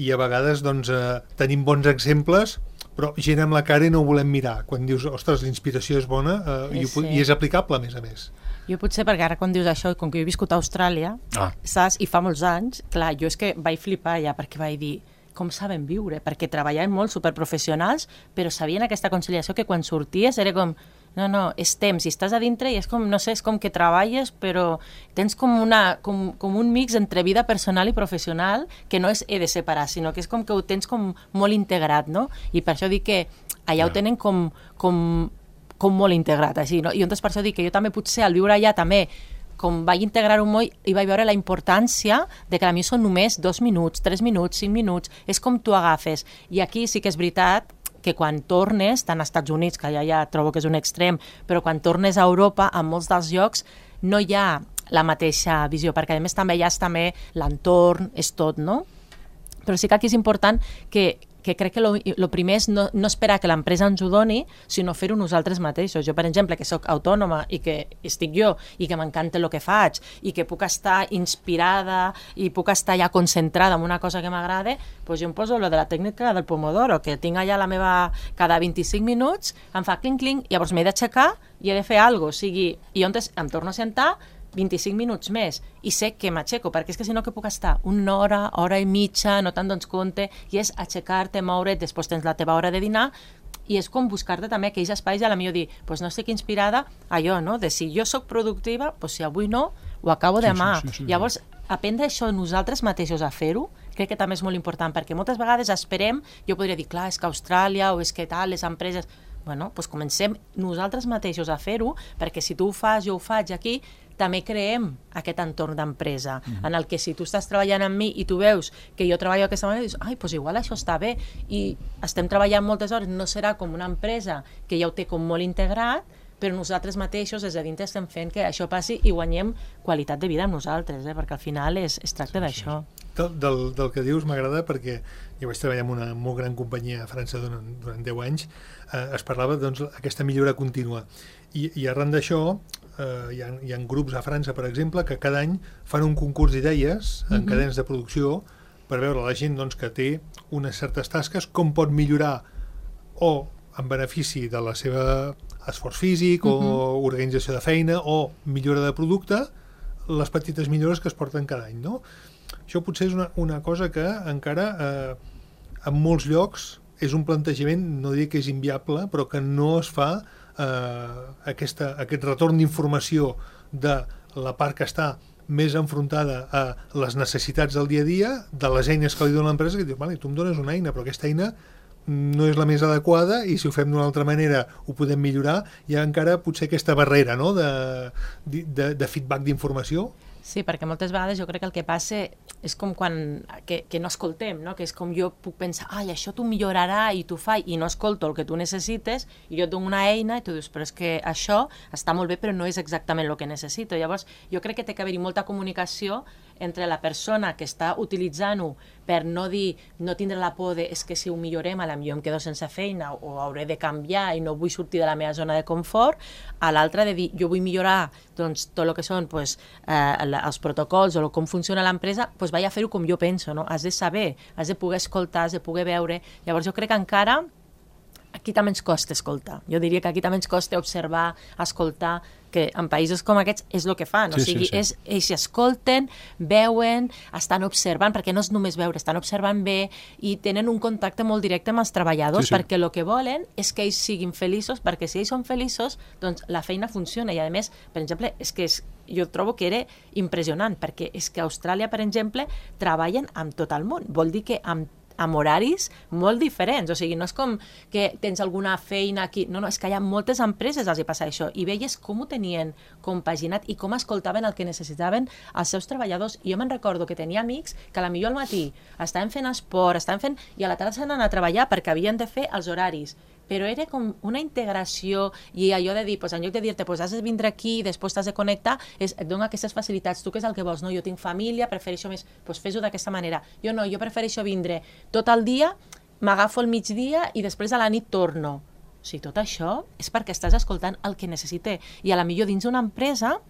i a vegades doncs, eh, tenim bons exemples, però gent amb la cara i no ho volem mirar. Quan dius, ostres, l'inspiració és bona eh, i, sí. i és aplicable, a més a més. Jo potser, perquè ara quan dius això, com que jo he viscut a Austràlia, ah. saps, i fa molts anys, clar, jo és que vaig flipar allà, perquè vaig dir, com saben viure? Perquè treballaven molt superprofessionals, però sabien aquesta conciliació que quan sorties era com, No, no, és temps, i estàs a dintre i és com, no sé, és com que treballes, però tens com, una, com, com un mix entre vida personal i professional que no és he de separar, sinó que és com que ho tens com molt integrat, no? I per això dic que allà ho tenen com, com, com molt integrat, així, no? I llavors per això dic que jo també potser al viure allà també com vaig integrar-ho molt i vaig veure la importància de que a mi són només dos minuts, tres minuts, cinc minuts, és com tu agafes. I aquí sí que és veritat que quan tornes, tant als Estats Units, que ja, ja trobo que és un extrem, però quan tornes a Europa, en molts dels llocs, no hi ha la mateixa visió, perquè a més també allà és també l'entorn, és tot, no? Però sí que aquí és important que, que crec que el primer és no, no esperar que l'empresa ens ho doni, sinó fer-ho nosaltres mateixos. Jo, per exemple, que sóc autònoma i que estic jo i que m'encanta el que faig i que puc estar inspirada i puc estar ja concentrada en una cosa que m'agrada, doncs jo em poso lo de la tècnica del Pomodoro, que tinc allà la meva... Cada vint-i-cinc minuts em fa clinc-clinc, llavors m'he d'aixecar i he de fer alguna cosa. O sigui, i llavors em torno a sentar vint-i-cinc minuts més i sé que m'aixeco, perquè és que si no que puc estar una hora, hora i mitja, no te'n dones compte, i és aixecar-te, moure't, després tens la teva hora de dinar, i és com buscar-te també aquells espais i a la millor dir, doncs no estic inspirada a allò, no? De si jo sóc productiva, doncs si avui no, ho acabo demà. Sí, sí, sí, sí. Llavors, aprendre això nosaltres mateixos a fer-ho, crec que també és molt important, perquè moltes vegades esperem, jo podria dir, clar, és que Austràlia o és que tal, les empreses... Bueno, doncs comencem nosaltres mateixos a fer-ho, perquè si tu ho fas, jo ho faig aquí, també creem aquest entorn d'empresa, mm-hmm. en el que si tu estàs treballant amb mi i tu veus que jo treballo aquesta manera, dius, ai, doncs igual això està bé, i estem treballant moltes hores, no serà com una empresa que ja ho té com molt integrat, però nosaltres mateixos des de dintre estem fent que això passi i guanyem qualitat de vida amb nosaltres, eh? Perquè al final és, es tracta sí, d'això. Sí. Del, del, del que dius m'agrada perquè jo vaig treballar en una molt gran companyia a França durant, durant deu anys, eh, es parlava doncs aquesta millora contínua i, i arran d'això eh, hi, ha, hi ha grups a França, per exemple, que cada any fan un concurs d'idees en mm-hmm. cadenes de producció per veure la gent doncs, que té unes certes tasques com pot millorar o en benefici de la seva esforç físic mm-hmm. o organització de feina o millora de producte, les petites millores que es porten cada any, no? Això potser és una, una cosa que encara eh, en molts llocs és un plantejament, no dic que és inviable, però que no es fa eh, aquesta, aquest retorn d'informació de la part que està més enfrontada a les necessitats del dia a dia, de les eines que li dona l'empresa, que diu, vale, tu em dones una eina, però aquesta eina no és la més adequada i si ho fem d'una altra manera ho podem millorar. Hi ha encara potser aquesta barrera, no?, de, de, de feedback d'informació. Sí, perquè moltes vegades jo crec que el que passa és com quan que, que no escoltem, no? Que és com jo puc pensar, ai, això t'ho millorarà i t'ho fa, i no escolto el que tu necessites i jo et dono una eina i tu dius, però és que això està molt bé però no és exactament el que necessito. Llavors jo crec que té que haver-hi molta comunicació entre la persona que està utilitzant-ho per no dir, no tindre la por de és que si ho millorem a la millor em quedo sense feina o hauré de canviar i no vull sortir de la meva zona de confort, a l'altra de dir, jo vull millorar doncs, tot el que són pues, eh, els protocols o com funciona l'empresa, doncs vaig a fer-ho com jo penso, no? Has de saber, has de poder escoltar, has de poder veure. Llavors jo crec que encara aquí també ens costa escoltar. Jo diria que aquí també ens costa observar, escoltar, que en països com aquests és el que fan. Sí, o sigui, sí, sí. És, ells escolten, veuen, estan observant, perquè no és només veure, estan observant bé i tenen un contacte molt directe amb els treballadors, sí, sí. perquè el que volen és que ells siguin feliços, perquè si ells són feliços, doncs la feina funciona. I a més, per exemple, és que és, jo trobo que era impressionant, perquè és que a Austràlia, per exemple, treballen amb tot el món. Vol dir que amb amb horaris molt diferents, o sigui, no és com que tens alguna feina aquí, no, no, és que hi ha moltes empreses els hi passa això, i veies com ho tenien compaginat i com escoltaven el que necessitaven els seus treballadors. I jo me'n recordo que tenia amics que a la millor al matí estaven fent esport, estaven fent, i a la tarda s'han anat a treballar perquè havien de fer els horaris, però era com una integració i allò de dir, pues, en lloc de dir-te pues, has de vindre aquí i després t'has de connectar, és, et dona aquestes facilitats. Tu què és el que vols? No, jo tinc família, prefereixo més, pues, fes-ho d'aquesta manera. Jo no, jo prefereixo vindre tot el dia, m'agafo el migdia i després a la nit torno. O sigui, tot això és perquè estàs escoltant el que necessite. I a la millor dins d'una empresa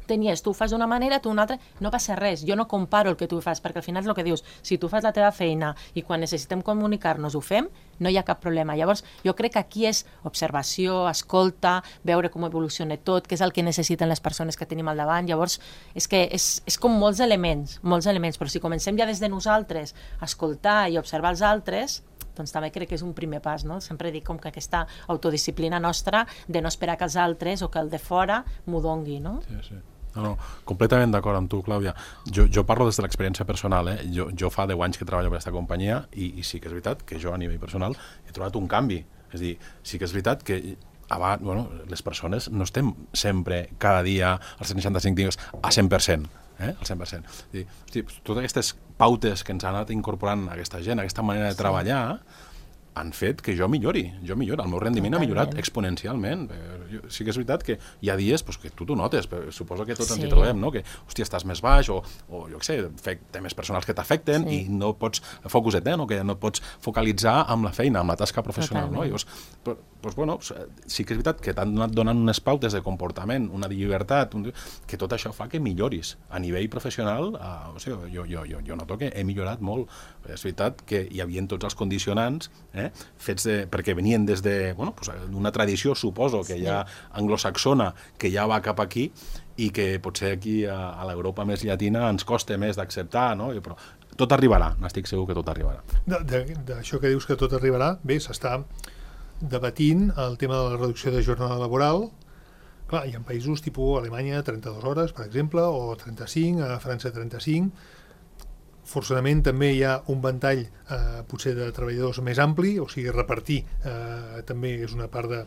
tenies, tu ho fas d'una manera, tu una altra, no passa res, jo no comparo el que tu fas, perquè al final és el que dius, si tu fas la teva feina i quan necessitem comunicar-nos ho fem, no hi ha cap problema. Llavors, jo crec que aquí és observació, escolta, veure com evoluciona tot, què és el que necessiten les persones que tenim al davant. Llavors, és que és, és com molts elements, molts elements, però si comencem ja des de nosaltres a escoltar i observar els altres, doncs també crec que és un primer pas, no? Sempre dic com que aquesta autodisciplina nostra de no esperar que els altres o que el de fora m'ho dongui, no? Sí, sí. No, no, completament d'acord amb tu, Clàudia. Jo, jo parlo des de l'experiència personal, eh? Jo, jo fa deu anys que treballo per aquesta companyia i, i sí que és veritat que jo a nivell personal he trobat un canvi. És a dir, sí que és veritat que abans, bueno, les persones no estem sempre, cada dia, als seixanta-cinc dies, a cent per cent. Eh? Al cent per cent. És a dir, hosti, totes aquestes pautes que ens ha anat incorporant aquesta gent, aquesta manera de treballar, han fet que jo millori, jo millori, el meu rendiment Totalment. ha millorat exponencialment. Sí que és veritat que hi ha dies pues, que tu t'ho notes, però suposo que tots sí. ens hi trobem, no? Que, hòstia, estàs més baix o, o jo què sé, temes personals que t'afecten sí. i no pots focus-et, no? Que no pots focalitzar amb la feina, amb la tasca professional, Totalment. no? I llavors, però, doncs, bueno, sí que és veritat que t'han anat donant unes pautes de comportament, una llibertat, un... que tot això fa que milloris. A nivell professional, uh, o sigui, jo, jo, jo, jo noto que he millorat molt. És veritat que hi havia tots els condicionants, eh, fets de, perquè venien des de, bueno, pues, d'una tradició, suposo, que ja anglosaxona, que ja va cap aquí i que potser aquí a, a l'Europa més llatina ens costa més d'acceptar, no? I, però tot arribarà, n'estic segur que tot arribarà. D'això que dius que tot arribarà, bé, s'està debatint el tema de la reducció de jornada laboral. Clar, hi ha països tipus Alemanya trenta-dues hores, per exemple, o trenta-cinc, a França trenta-cinc. Forçadament també hi ha un ventall eh, potser de treballadors més ampli, o sigui, repartir eh, també és una part de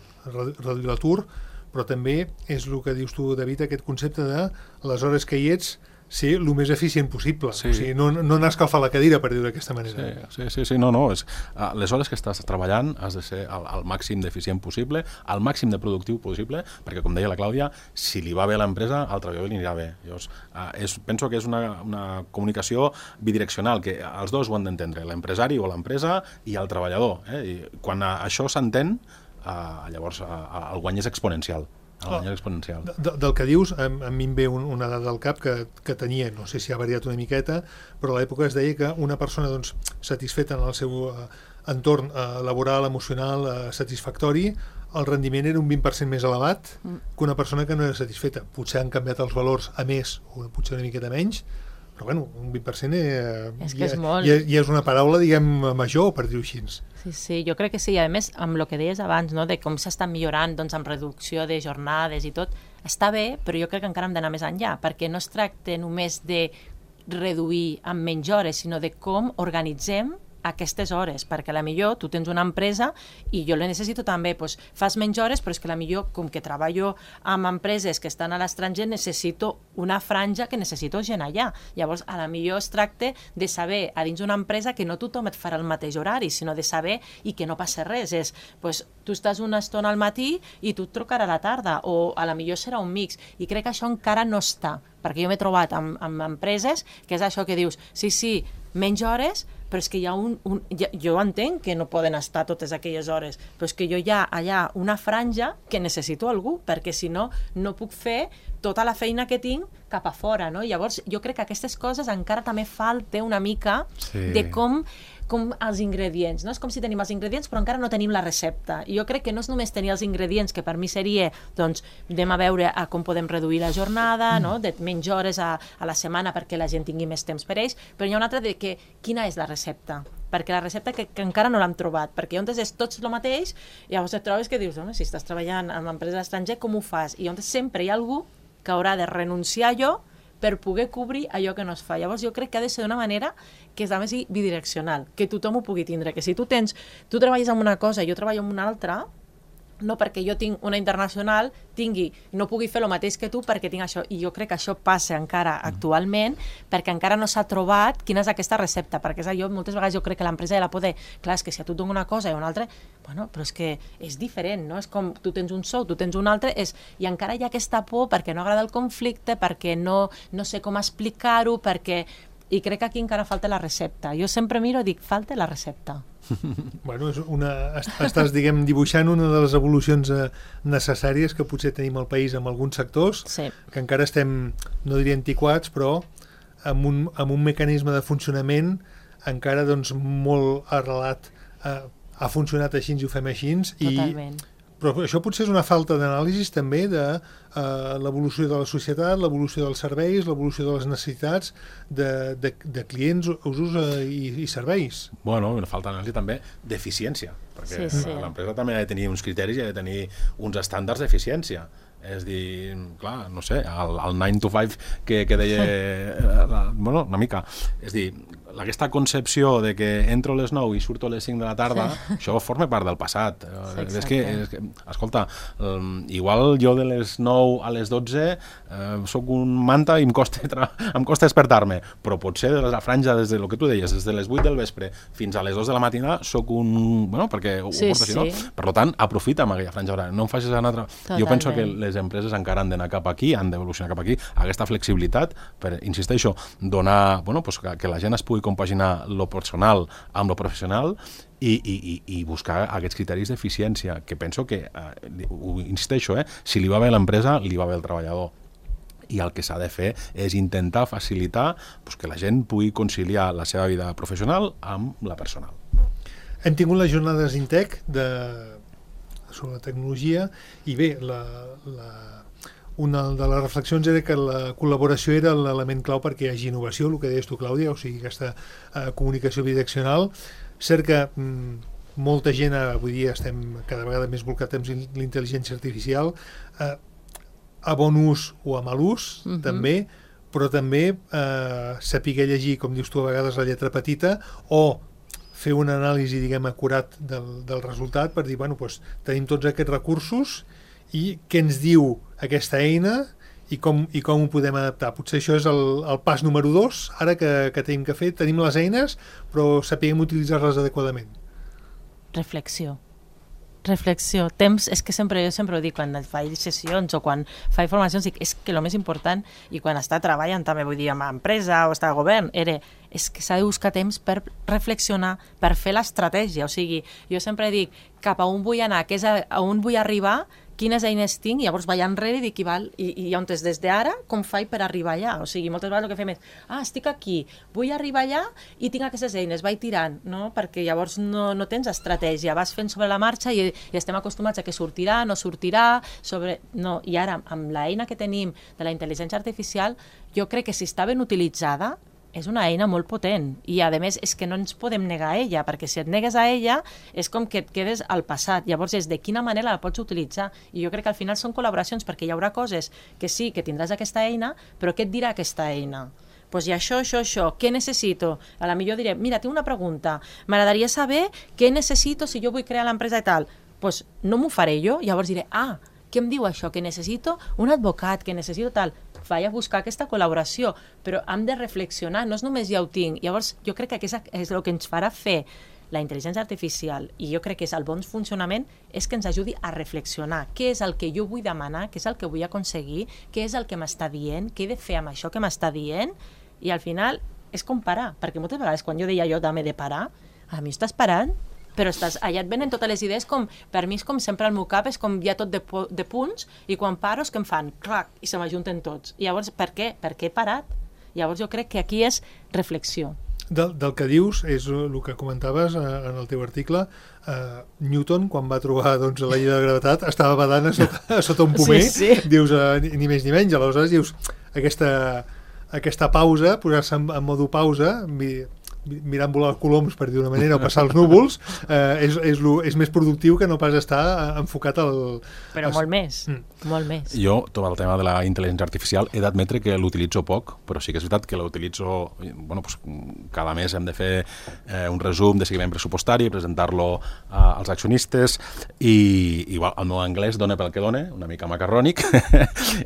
reduir l'atur, però també és el que dius tu, David, aquest concepte de les hores que hi ets ser el més eficient possible. Sí. O sigui, no, no anar a escalfar la cadira, per dir-ho d'aquesta manera. Sí, sí, sí, sí, no, no. És, uh, les hores que estàs treballant has de ser al, al màxim d'eficient possible, al màxim de productiu possible, perquè, com deia la Clàudia, si li va bé a l'empresa, al treballador li anirà bé. Llavors, uh, és, penso que és una, una comunicació bidireccional, que els dos ho han d'entendre, l'empresari o l'empresa i el treballador. Eh? I quan uh, això s'entén, uh, llavors uh, el guany és exponencial. Oh, exponencial. De, del que dius, a, a mi em ve un, una dada al cap que, que tenia, no sé si ha variat una miqueta, però a l'època es deia que una persona doncs, satisfeta en el seu uh, entorn uh, laboral, emocional, uh, satisfactori, el rendiment era un vint per cent més elevat mm. que una persona que no era satisfeta. Potser han canviat els valors a més, o potser una miqueta menys, però bueno, un vint per cent eh, és que ja, és molt. Ja, ja és una paraula, diguem, major, per dir-ho així. Sí, sí, jo crec que sí. A més, amb el que deies abans, no, de com s'està millorant doncs, amb reducció de jornades i tot, està bé, però jo crec que encara hem d'anar més enllà, perquè no es tracta només de reduir amb menys hores, sinó de com organitzem aquestes hores, perquè a la millor tu tens una empresa i jo la necessito també, doncs fas menys hores, però és que a la millor, com que treballo amb empreses que estan a l'estranger, necessito una franja que necessito gent allà. Llavors, a la millor es tracta de saber a dins d'una empresa que no tothom et farà el mateix horari, sinó de saber i que no passa res. És, doncs, tu estàs una estona al matí i tu et trucarà a la tarda, o a la millor serà un mix. I crec que això encara no està, perquè jo m'he trobat amb, amb empreses que és això que dius, sí, sí, menys hores, però és que hi ha un... un ja, jo entenc que no poden estar totes aquelles hores, però és que jo hi ha allà una franja que necessito algú, perquè si no, no puc fer tota la feina que tinc cap a fora, no? Llavors, jo crec que aquestes coses encara també falta una mica sí. de com... com els ingredients, no? És com si tenim els ingredients però encara no tenim la recepta. I jo crec que no és només tenir els ingredients, que per mi seria, doncs, anem a veure a com podem reduir la jornada, no? De menys hores a, a la setmana perquè la gent tingui més temps per ells, però hi ha una altra de que quina és la recepta? Perquè la recepta que, que encara no l'hem trobat, perquè on és tots el mateix, i llavors et trobes que dius, no? Si estàs treballant en l'empresa estranger, com ho fas? I on sempre hi ha algú que haurà de renunciar allò per poder cobrir allò que no es fa. Llavors jo crec que ha de ser d'una manera que és a més bidireccional, que tothom ho pugui tindre, que si tu tens, tu treballes en una cosa i jo treballo en una altra, no perquè jo tinc una internacional, tingui, no pugui fer el mateix que tu perquè tinc això. I jo crec que això passa encara actualment perquè encara no s'ha trobat quina és aquesta recepta, perquè és allò, moltes vegades jo crec que l'empresa ja la pot dir, clar, és que si a tu et dono una cosa i una altra, bueno, però és que és diferent, no? És com tu tens un sou, tu tens un altre, és... i encara hi ha aquesta por perquè no agrada el conflicte, perquè no, no sé com explicar-ho, perquè... I crec que aquí encara falta la recepta. Jo sempre miro i dic, falta la recepta. Bueno, és una, estàs, diguem, dibuixant una de les evolucions eh, necessàries que potser tenim al país en alguns sectors, sí. que encara estem, no diria antiquats, però amb un, amb un mecanisme de funcionament encara doncs, molt arrelat. Eh, ha funcionat així, i ho fem així, Totalment. i però això potser és una falta d'anàlisi també de uh, l'evolució de la societat, l'evolució dels serveis, l'evolució de les necessitats de, de, de clients, usos uh, i, i serveis. Bueno, una falta d'anàlisi també d'eficiència, perquè sí, sí. l'empresa també ha de tenir uns criteris i ha de tenir uns estàndards d'eficiència. És dir, clar, no sé, el, el nine to five que, que deia la, bueno, una mica, és dir, aquesta concepció de que entro a les nou i surto a les cinc de la tarda, sí. això forma part del passat. Sí, és que, és que, escolta, um, igual jo de les nou a les dotze eh, soc un manta i em costa, em costa despertar-me, però potser de la franja, des de lo que tu deies, des de les vuit del vespre fins a les dos de la matina soc un... Bueno, perquè ho, sí, ho porto així, sí. no? Per tant, aprofita amb aquella franja horària, no em facis anar... Totalment. Jo penso que les empreses encara han d'anar cap aquí, han d'evolucionar cap aquí, aquesta flexibilitat per, insisteixo, donar, bueno, pues que, que la gent es pugui compaginar lo personal amb lo professional i, i, i buscar aquests criteris d'eficiència, que penso que, eh, ho insisteixo, eh, si li va bé a l'empresa, li va bé al treballador. I el que s'ha de fer és intentar facilitar pues, que la gent pugui conciliar la seva vida professional amb la personal. Hem tingut les jornades Intec de... sobre la tecnologia i bé, la, la, una de les reflexions era que la col·laboració era l'element clau perquè hi hagi innovació, el que deies tu, Clàudia, o sigui, aquesta eh, comunicació bidireccional. Cert que mm, molta gent, avui dia estem cada vegada més volcats amb l'intel·ligència artificial, eh, a bon ús o a mal ús, uh-huh. també, però també eh, saber llegir, com dius tu a vegades, la lletra petita, o fer una anàlisi, diguem, acurat del, del resultat per dir, bueno, doncs, tenim tots aquests recursos i què ens diu aquesta eina i com, i com ho podem adaptar. Potser això és el, el pas número dos, ara que, que tenim que fer. Tenim les eines, però sapiguem utilitzar-les adequadament. Reflexió. Reflexió. Temps, és que sempre, jo sempre ho dic, quan faig sessions o quan faig formacions, dic, és que el més important, i quan està treballant també, vull dir, amb empresa o està a govern, era, és que s'ha de buscar temps per reflexionar, per fer l'estratègia. O sigui, jo sempre dic, cap a on vull anar, que és a, a on vull arribar, quines eines tinc, i llavors vaig enrere i dic, i, val, i, i on és des d'ara, com faig per arribar allà? O sigui, moltes vegades el que fem és, ah, estic aquí, vull arribar allà i tinc aquestes eines, vaig tirant, no? Perquè llavors no, no tens estratègia, vas fent sobre la marxa i, i estem acostumats a que sortirà, no sortirà, sobre... no. I ara, amb l'eina que tenim de la intel·ligència artificial, jo crec que si està ben utilitzada, és una eina molt potent i a més és que no ens podem negar a ella, perquè si et negues a ella és com que et quedes al passat, llavors és de quina manera la pots utilitzar, i jo crec que al final són col·laboracions, perquè hi haurà coses que sí, que tindràs aquesta eina, però què et dirà aquesta eina? Doncs hi ha això, això, això, què necessito? A la millor diré, mira, tinc una pregunta, m'agradaria saber què necessito si jo vull crear l'empresa i tal, doncs no m'ho faré jo, llavors diré, ah, què em diu això? Que necessito un advocat, que necessito tal. Vaig a buscar aquesta col·laboració, però hem de reflexionar, no és només ja ho tinc. Llavors, jo crec que aquest és el que ens farà fer la intel·ligència artificial, i jo crec que és el bon funcionament, és que ens ajudi a reflexionar. Què és el que jo vull demanar? Què és el que vull aconseguir? Què és el que m'està dient? Què he de fer amb això que m'està dient? I al final és com parar, perquè moltes vegades quan jo deia jo també de parar, a mi estàs parant, però estàs, allà et venen totes les idees, com, per mi és com sempre al meu cap, és com ja tot de, de punts, i quan paro és que em fan clac, i se m'ajunten tots. I llavors, per què? Per què he parat? Llavors jo crec que aquí és reflexió. Del, del que dius, és el que comentaves en el teu article, uh, Newton, quan va trobar doncs, la llei de la gravetat, estava badant a sota, a sota un pomer, sí, sí. Dius, uh, ni, ni més ni menys, aleshores dius, aquesta, aquesta pausa, posar-se en, en modo pausa, mi, mirant volar els coloms, per dir d'una manera, o passar els núvols, eh, és, és, lo, és més productiu que no pas estar enfocat al... Però als... molt més, mm. molt més. Jo, tot el tema de la intel·ligència artificial, he d'admetre que l'utilitzo poc, però sí que és veritat que l'utilitzo... Bueno, pues, cada mes hem de fer eh, un resum de seguiment pressupostari, presentar-lo eh, als accionistes, i igual, el meu anglès dona pel que dona, una mica macarrònic,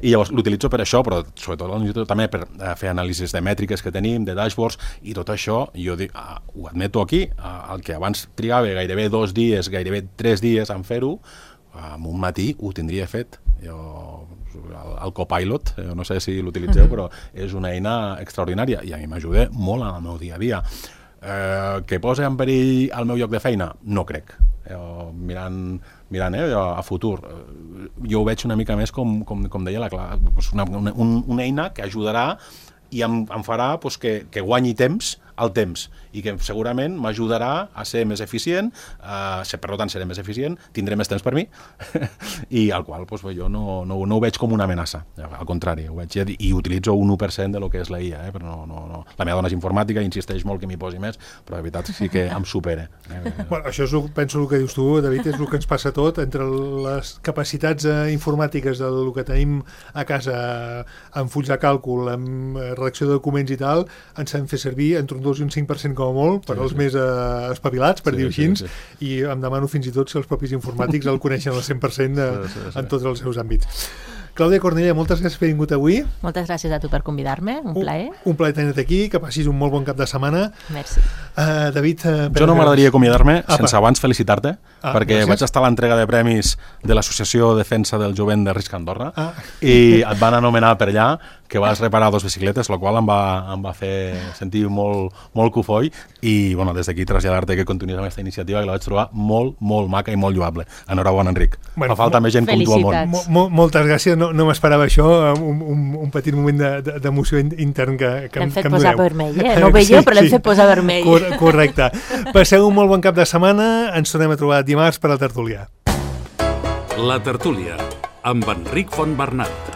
i llavors l'utilitzo per això, però sobretot també per eh, fer anàlisis de mètriques que tenim, de dashboards, i tot això, jo dic, ah, ho admeto aquí, ah, el que abans trigava gairebé dos dies, gairebé tres dies en fer-ho, en un matí ho tindria fet. Jo, el, el Copilot, eh, no sé si l'utilitzeu, però és una eina extraordinària i a mi m'ajuda molt en el meu dia a dia. Eh, que posa en perill el meu lloc de feina? No crec. Eh, mirant, mirant eh, a futur, eh, jo ho veig una mica més com, com, com deia la Clara, una, una, una eina que ajudarà i em, em farà pues, que, que guanyi temps al temps i que segurament m'ajudarà a ser més eficient, eh, per tant seré més eficient, tindré més temps per mi i al qual doncs, jo no, no, no ho veig com una amenaça, al contrari, ho veig i utilitzo un u per cent de lo que és la I A, eh, però no, no, no. La meva dona és informàtica, insisteix molt que m'hi posi més, però de veritat sí que em supera. Eh? Bueno, això és, penso el que dius tu, David, és el que ens passa tot, entre les capacitats eh, informàtiques del que tenim a casa amb fulls de càlcul, amb redacció de documents i tal, ens hem fet servir entre un dos i un cinc per cent com a molt per sí, als sí. més eh, espavilats, per sí, dir-ho així, sí, sí. i em demano fins i tot si els propis informàtics el coneixen al cent per cent de, sí, sí, sí. en tots els seus àmbits. Clàudia Cornellà, moltes gràcies per haver vingut avui. Moltes gràcies a tu per convidar-me, un plaer. Un, un plaer tenir-te aquí, que passis un molt bon cap de setmana. Merci. Uh, David... Uh, jo no m'agradaria acomiadar-me sense abans felicitar-te, ah, perquè gràcies. Vaig estar a l'entrega de premis de l'Associació Defensa del Jovent de Risc Andorra ah. i et van anomenar per allà que vas reparar dos bicicletes, la qual em va, em va fer sentir molt, molt cofoi i bueno, des d'aquí traslladar-te que continuïs amb aquesta iniciativa que la vaig trobar molt, molt maca i molt lloable. Enhorabona, Enric. Bueno, fa falta més gent com tu al món. Mo moltes gràcies, no, no m'esperava això, un, un, un petit moment d'emoció de, intern que, que, l'hem fet que em posar doneu. Vermell, eh? No ho veieu, sí, però l'hem sí. fet posar vermell. Cor correcte. Passeu un molt bon cap de setmana, ens tornem a trobar dimarts per a la tertúlia. La tertúlia, amb Enric Fontbernat.